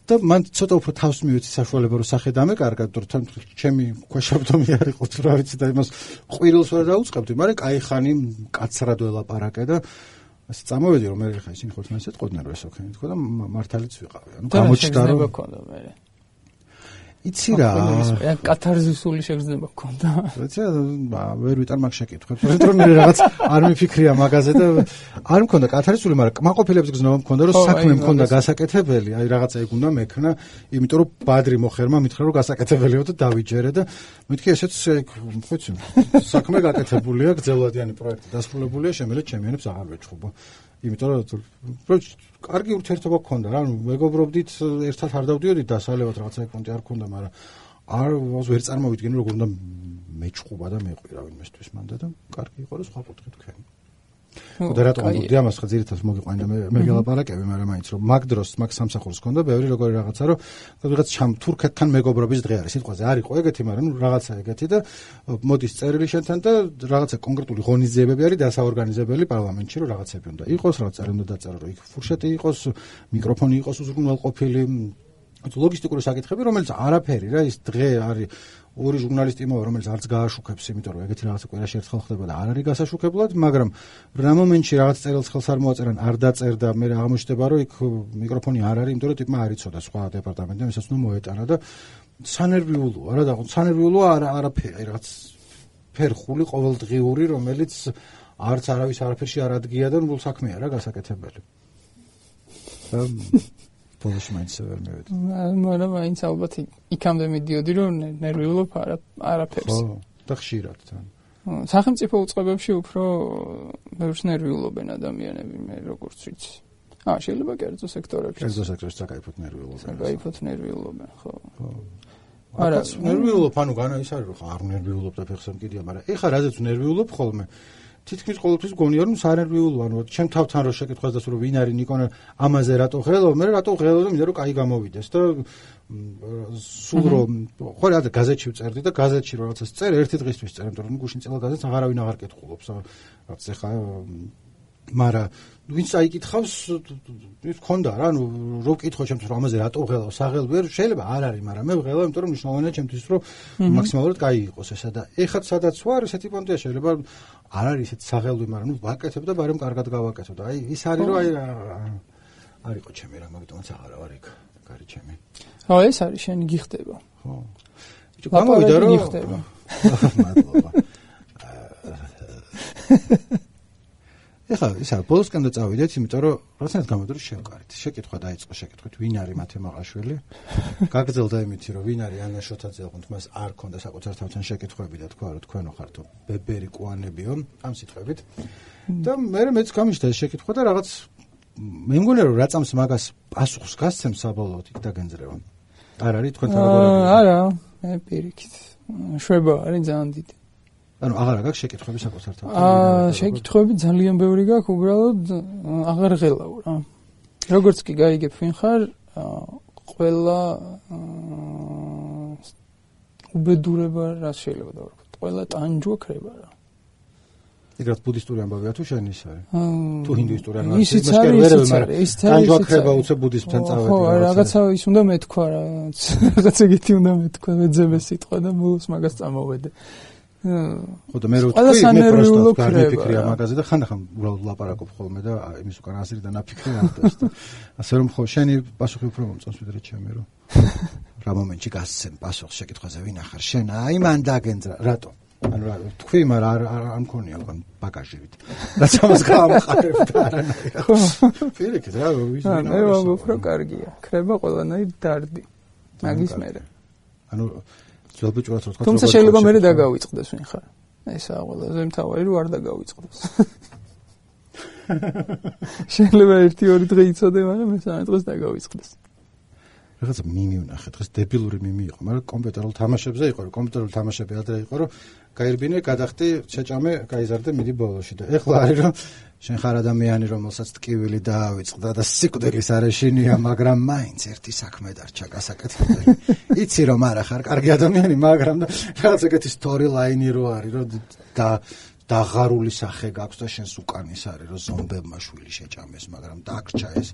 და მან ცოტა უფრო თავს მივეცი საშუალება რომ სახე დამეკარგა, თორემ ჩემი ქვეშაბდომი არ იყო, რა ვიცი და იმას ყვირილს ვერ დაუწყებდი, მაგრამ კაი ხანი კაცრად ველაპარაკე და ასე წამოვედი რომ მე ხა ისინი ხოლმე ესეთ ყოდნენ რომ ესო ქენი თქო და მართალიც ვიყავი. ანუ გამოჩნდა რომ იცი რა კათარზისული შეგრძნება გქონდა. ვიცი ვერ ვიტარ მაგ შეკითხვებს. იმიტომ რომ მე რაღაც არ მიფიქრია მაგაზე და არ მქონდა კათარზისული, მაგრამ კმაყოფილების გზნობა მქონდა რომ საქმე მქონდა გასაკეთებელი, აი რაღაცა ეგ უნდა მექნა, იმიტომ რომ ბადრი მოხერმა მითხრა რომ გასაკეთებელიო და დავიჯერე და მეთქი ესეც ხოიცი საქმე გაკეთებულია, გრძელვადიანი პროექტი დასრულებულია, შემიძლია ჩემიანებს აღარ ვეჩხუბო. იმიტომ რომ კარგი ურთიერთობა გქონდა რა, ანუ მეგობრობდით, ერთად არ დავდიოდით დასალევად რაღაცა პონტი არ ქონდა, მაგრამ არ ვერ წარმოვიდგენი როგორ უნდა მეჭყობა და მეყვირა ვინმესთვის მანდა და კარგი იყო რომ სხვა კუთხე თქვენ. და რატომ მოვდი ამას ხა ძირითადად მოგიყვანდა მე მე გელაპარაკები, მაგრამ მაინც რომ მაგ დროს მაგ სამსახურს ქონდა ბევრი როგორი რაღაცა რომ რაღაც ჩამ თურქეთთან მეგობრობის დღე არის სიტყვაზე არ იყო ეგეთი, მაგრამ ნუ რაღაცა ეგეთი და მოდის წერილი შენთან და რაღაცა კონკრეტული ღონისძიებები არის დასაორგანიზებელი პარლამენტში რომ რაღაცები უნდა იყოს, რაღაც წარი უნდა დაწერო რომ იქ ფურშეტი იყოს, მიკროფონი იყოს უზრუნველყოფილი, ლოგისტიკური საკითხები, რომელიც არაფერი რა ის დღე არის ორი ჟურნალისტი იმოვა, რომელიც არც გააშუქებს, იმიტომ რომ ეგეთი რაღაცა კვირაში ერთხელ ხდება და არ არის გასაშუქებლად, მაგრამ რა მომენტში რაღაც წერილს ხელს არ მოაწერან, არ დაწერდა, მე აღმოჩნდება რომ იქ მიკროფონი არ არის, იმიტომ რომ ტიპმა არ იცოდა სხვა დეპარტამენტიდან, ვისაც უნდა მოეტანა და სანერვიულოა რა და სანერვიულოა არა არაფერი, რაღაც ფერხული ყოველდღიური, რომელიც არც არავის არაფერში არ ადგია და ნუ საქმეა რა გასაკეთებელი. ბოლოს მაინც ვერ მივედი. მაგრამ მაინც ალბათ იქამდე მიდიოდი რომ ნერვიულობ არაფერს. ხო, და ხშირად თან. სახელმწიფო უწყებებში უფრო ბევრს ნერვიულობენ ადამიანები, მე როგორც ვიცი. აა, შეიძლება კერძო სექტორებში. კერძო სექტორებში საკაიფოთ ნერვიულობენ. საკაიფოთ ნერვიულობენ, ხო. ხო. არა, ნერვიულობ, ანუ განა ის არის რომ არ ნერვიულობ და ფეხს მკიდია, მაგრამ ეხა რაზეც ნერვიულობ ხოლმე თითქმის ყოველთვის გონია რომ სანერვიულო, ანუ ჩემ თავთან რო შეკითხვას დასო რომ ვინ არის ნიკონა ამაზე რატო ღელო, მე რატო ღელო და მინდა რომ კაი გამოვიდეს და სულ რომ ხო რა გაზეთში ვწერდი და გაზეთში რაღაცას წერ ერთი დღისთვის წერ, იმიტომ რომ გუშინ წელა გაზეთს აღარავინ აღარ კითხულობს, რაც ეხა მაგრამ ვინც აიკითხავს ის ქონდა რა, ანუ რო ვკითხო ჩემთვის რომ ამაზე რატო ღელო, საღელ ვერ შეიძლება არ არის, მაგრამ მე ვღელავ, იმიტომ რომ მნიშვნელოვანია ჩემთვის რომ მაქსიმალურად კაი იყოს ესა და ეხლა სადაც ვარ, ესეთი პონტია შეიძლება არ არის ესეთ საღელვი, მაგრამ ნუ ვაკეთებ და ბარემ კარგად გავაკეთო და აი ის არის რომ აი არ იყო ჩემი რა, მაგიტომაც აღარ ვარ იქ, კარი ჩემი. ხო, ეს არის შენი გიხდება. ხო. ბიჭო, გამოვიდა რომ გიხდება. მადლობა. ეხლა ისა ბოლოსკენ და წავიდეთ, იმიტომ რომ რაღაცნაირად გამოვიდა რომ შევკარით. შეკითხვა დაიწყო, შეკითხვით, ვინ არის მათე მაყაშვილი? გაგრძელდა იმითი რომ ვინ არის ანა შოთაძე, თუმცა მას არ ქონდა საკუთარ თავთან შეკითხვები და თქვა რომ თქვენო ხართო ბებერი კვანებიო ამ სიტყვებით. და მე მეც გამიშთა ეს შეკითხვა და რაღაც მე მგონია რომ რა წამს მაგას პასუხს გასცემს საბოლოოდ იქ დაგენძრევა. არ არის თქვენთან როგორია? არა, მე პირიქით. შვება არის ძალიან დიდი. ანუ აღარ აქვს შეკითხვები საკუთარ თავთან. აა, შეკითხვები ძალიან ბევრი გაქვს, უბრალოდ აღარ ღელავ რა. როგორც კი გაიგებ ვინ ხარ, ყველა უბედურება რა შეიძლება დავარქოთ. ყველა ტანჯვა ქრება რა. ეგრეთ ბუდისტური ამბავია თუ შენ ის არის? თუ ჰინდუისტური ამბავია? ისიც არის, ისიც არის, ისიც არის. ტანჯვა ქრება უცებ ბუდიზმთან წავედი. ხო, რაღაცა ის უნდა მეთქვა რა. რაღაც ეგეთი უნდა მეთქვა, მეძებე სიტყვა და ბოლოს მაგას წამოვედე. ხო და მე რო თქვი მე პროსტო გამიფიქრია მაგაზე და ხანდახან უბრალოდ ლაპარაკობ ხოლმე და იმის უკან აზრი და ნაფიქრი ამბობს და ასე რომ ხო შენი პასუხი უფრო მომწონს ვიდრე ჩემი რომ რა მომენტში გასცემ პასუხს შეკითხვაზე ვინ ახარ შენ აი მან დაგენძრა რატო ანუ რა თქვი მაგრამ არ არ მქონია უკან ბაგაჟივით რაც ამას გამყარებ და არანაირად ხო პირიქით რა ვიცი მე ვამბობ რომ კარგია ქრება ყველანაირ დარდი მაგის მერე ანუ ძველბიჭურად რო თქვა თუმცა შეიძლება მე დაგავიწყდეს ვინ ხარ ესაა ყველაზე მთავარი რომ არ დაგავიწყდეს შეიძლება ერთი ორი დღე იცოდე მაგრამ მესამე დღეს დაგავიწყდეს რაღაცა მიმი ვნახე, დღეს დებილური მიმი იყო, მაგრამ კომპიუტერულ თამაშებზე იყო, რომ კომპიუტერულ თამაშები ადრე იყო, რომ გაირბინე, გადახდი, შეჭამე, გაიზარდე, მიდი ბოლოში და ეხლა არის რომ შენ ხარ ადამიანი, რომელსაც ტკივილი დაავიწყდა და სიკვდილის არეშინია, მაგრამ მაინც ერთი საქმე დარჩა გასაკეთებელი. იცი რომ არა ხარ კარგი ადამიანი, მაგრამ და რაღაც ეგეთი story line-ი რო არის, რომ და დაღარული სახე გაქვს და შენს უკანის არის, რომ ზომბებმა შვილი შეჭამეს, მაგრამ დაგრჩა ეს.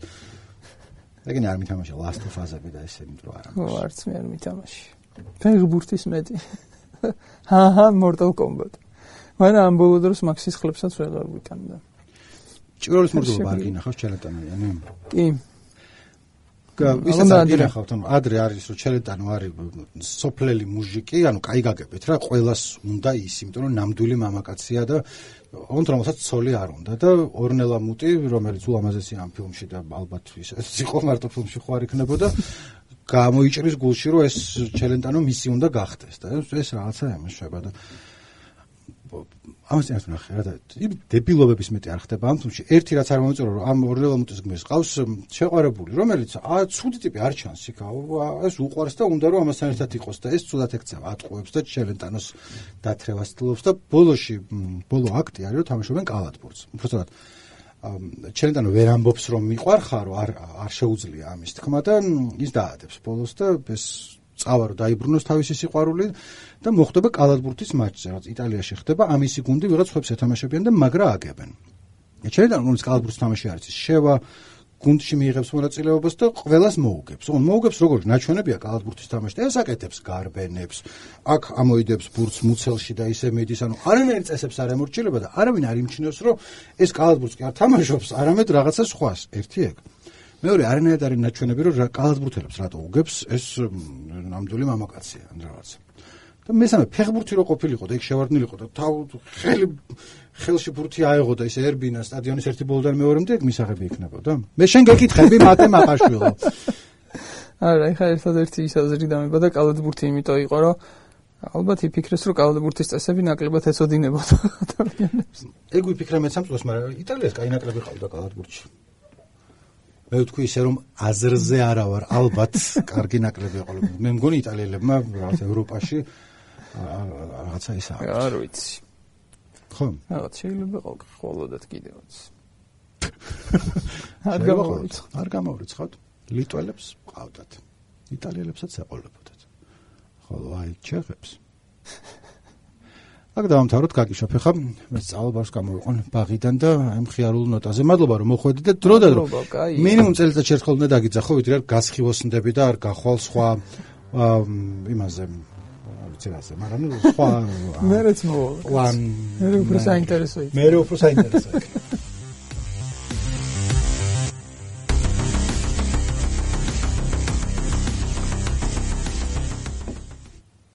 ეგენი არ მითამაშე Last of Us-ები და ესენი დრო არ აქვს. ო, არც მე არ მითამაში. ფეხბურთის მეტი. ჰაჰა, Mortal Kombat. მაგრამ ამ ბოლო დროს Max-ის ხლებსაც ვეღარ ვიტანდა. ჭიროლის მურდობა არ გინახავს ჩელეტანიანი? კი. ვისაც არ გინახავთ, ანუ ადრე არის რომ ჩელეტანო არის სოფლელი მუჟიკი, ანუ კაი გაგებით რა, ყველას უნდა ის, იმიტომ რომ ნამდვილი მამაკაცია და ოღონდ რომელსაც ცოლი არ უნდა და ორნელა მუტი, რომელიც ულამაზესი ამ ფილმში და ალბათ ის იყო მარტო ფილმში ხო არ იქნებოდა, გამოიჭრის გულში რომ ეს ჩელეტანო მისი უნდა გახდეს და ეს რაღაცა ემშვება და ამას წინათ ვნახე რა და დებილობების მეტი არ ხდება ამ თუმში ერთი რაც არ მომეწონა რომ ამ ორნელა მუტის გმირს ყავს შეყვარებული რომელიც ა ცუდი ტიპი არ ჩანს იქ ეს უყვარს და უნდა რომ ამასთან ერთად იყოს და ეს ცუდად ეკცევა ატყუებს და ჩელენტანოს დათრევას ცდილობს და ბოლოში ბოლო აქტი არის რომ თამაშობენ კალათბურთს უბრალოდ ჩელენტანო ვერ ამბობს რომ მიყვარხარო არ არ შეუძლია ამის თქმა და ის დაადებს ბოლოს და ეს წავა რომ დაიბრუნოს თავისი სიყვარული და მოხდება კალათბურთის მატჩზე, რაც იტალიაში ხდება, ამისი გუნდი ვიღაც ხუებს ეთამაშებიან და მაგრა აგებენ. ჩელეტანო რომელიც კალათბურთის თამაში არის, შევა გუნდში მიიღებს მონაწილეობას და ყველას მოუგებს. ოღონდ მოუგებს როგორ ნაჩვენებია კალათბურთის თამაში და ეს აკეთებს გარბენებს, აქ ამოიდებს ბურთს მუცელში და ისე მიდის, ანუ არანაირი წესებს არ ემორჩილება და არავინ არ იმჩნევს, რომ ეს კალათბურთს კი არ თამაშობს, არამედ რაღაცა სხვას. ერთი ეგ. მეორე არანაირად არის ნაჩვენები, რომ კალათბურთელებს რატო უგებს, ეს ნამდვილი მამაკაცია ან რაღაცა. და მესამე ფეხბურთი რო ყოფილიყო და იქ შევარდნილიყო და თავ ხელი ხელში ბურთი აეღო და ისე ერბინა სტადიონის ერთი ბოლოდან მეორემდე ეგ მისაღები იქნებოდა. მე შენ გეკითხები მათე მაყაშვილო. არა, ეხლა ერთადერთი ის აზრი დამებოდა კალათბურთი იმიტომ იყო, რომ ალბათ იფიქრეს, რომ კალათბურთის წესები ნაკლებად ეცოდინებოდა ადამიანებს. ეგ ვიფიქრე მეც ამ წელს, მაგრამ იტალიას კაი ნაკლები ყავდა კალათბურთში. მე ვთქვი ისე რომ აზრზე არა ვარ, ალბათ კარგი ნაკლები იყო. მე მგონი იტალიელებმა რაღაც ევროპაში რაღაცა ის აქვს. არ ვიცი. ხო? რაღაც შეიძლება ყოველდღიურად კიდევაც. არ გამოვრიცხავთ, არ გამოვრიცხავთ. ლიტველებს ყავდათ. იტალიელებსაც ეყოლებოდათ. ხოლო აი ჩეხებს. აქ დავამთავროთ, გაგიშოფე ხა, მე სწავლებას გამოვიყონ ბაღიდან და აი მხიარულ ნოტაზე. მადლობა რომ მოხვედით და დრო და დრო. მინიმუმ წელიწადში ერთხელ უნდა დაგიძახო, ვიდრე არ გასხივოსნდები და არ გახვალ სხვა იმაზე ვიცი რაზე, მაგრამ სხვა მერეც მოვა. ვან მე უფრო საინტერესო იქნება. მე უფრო საინტერესო იქნება.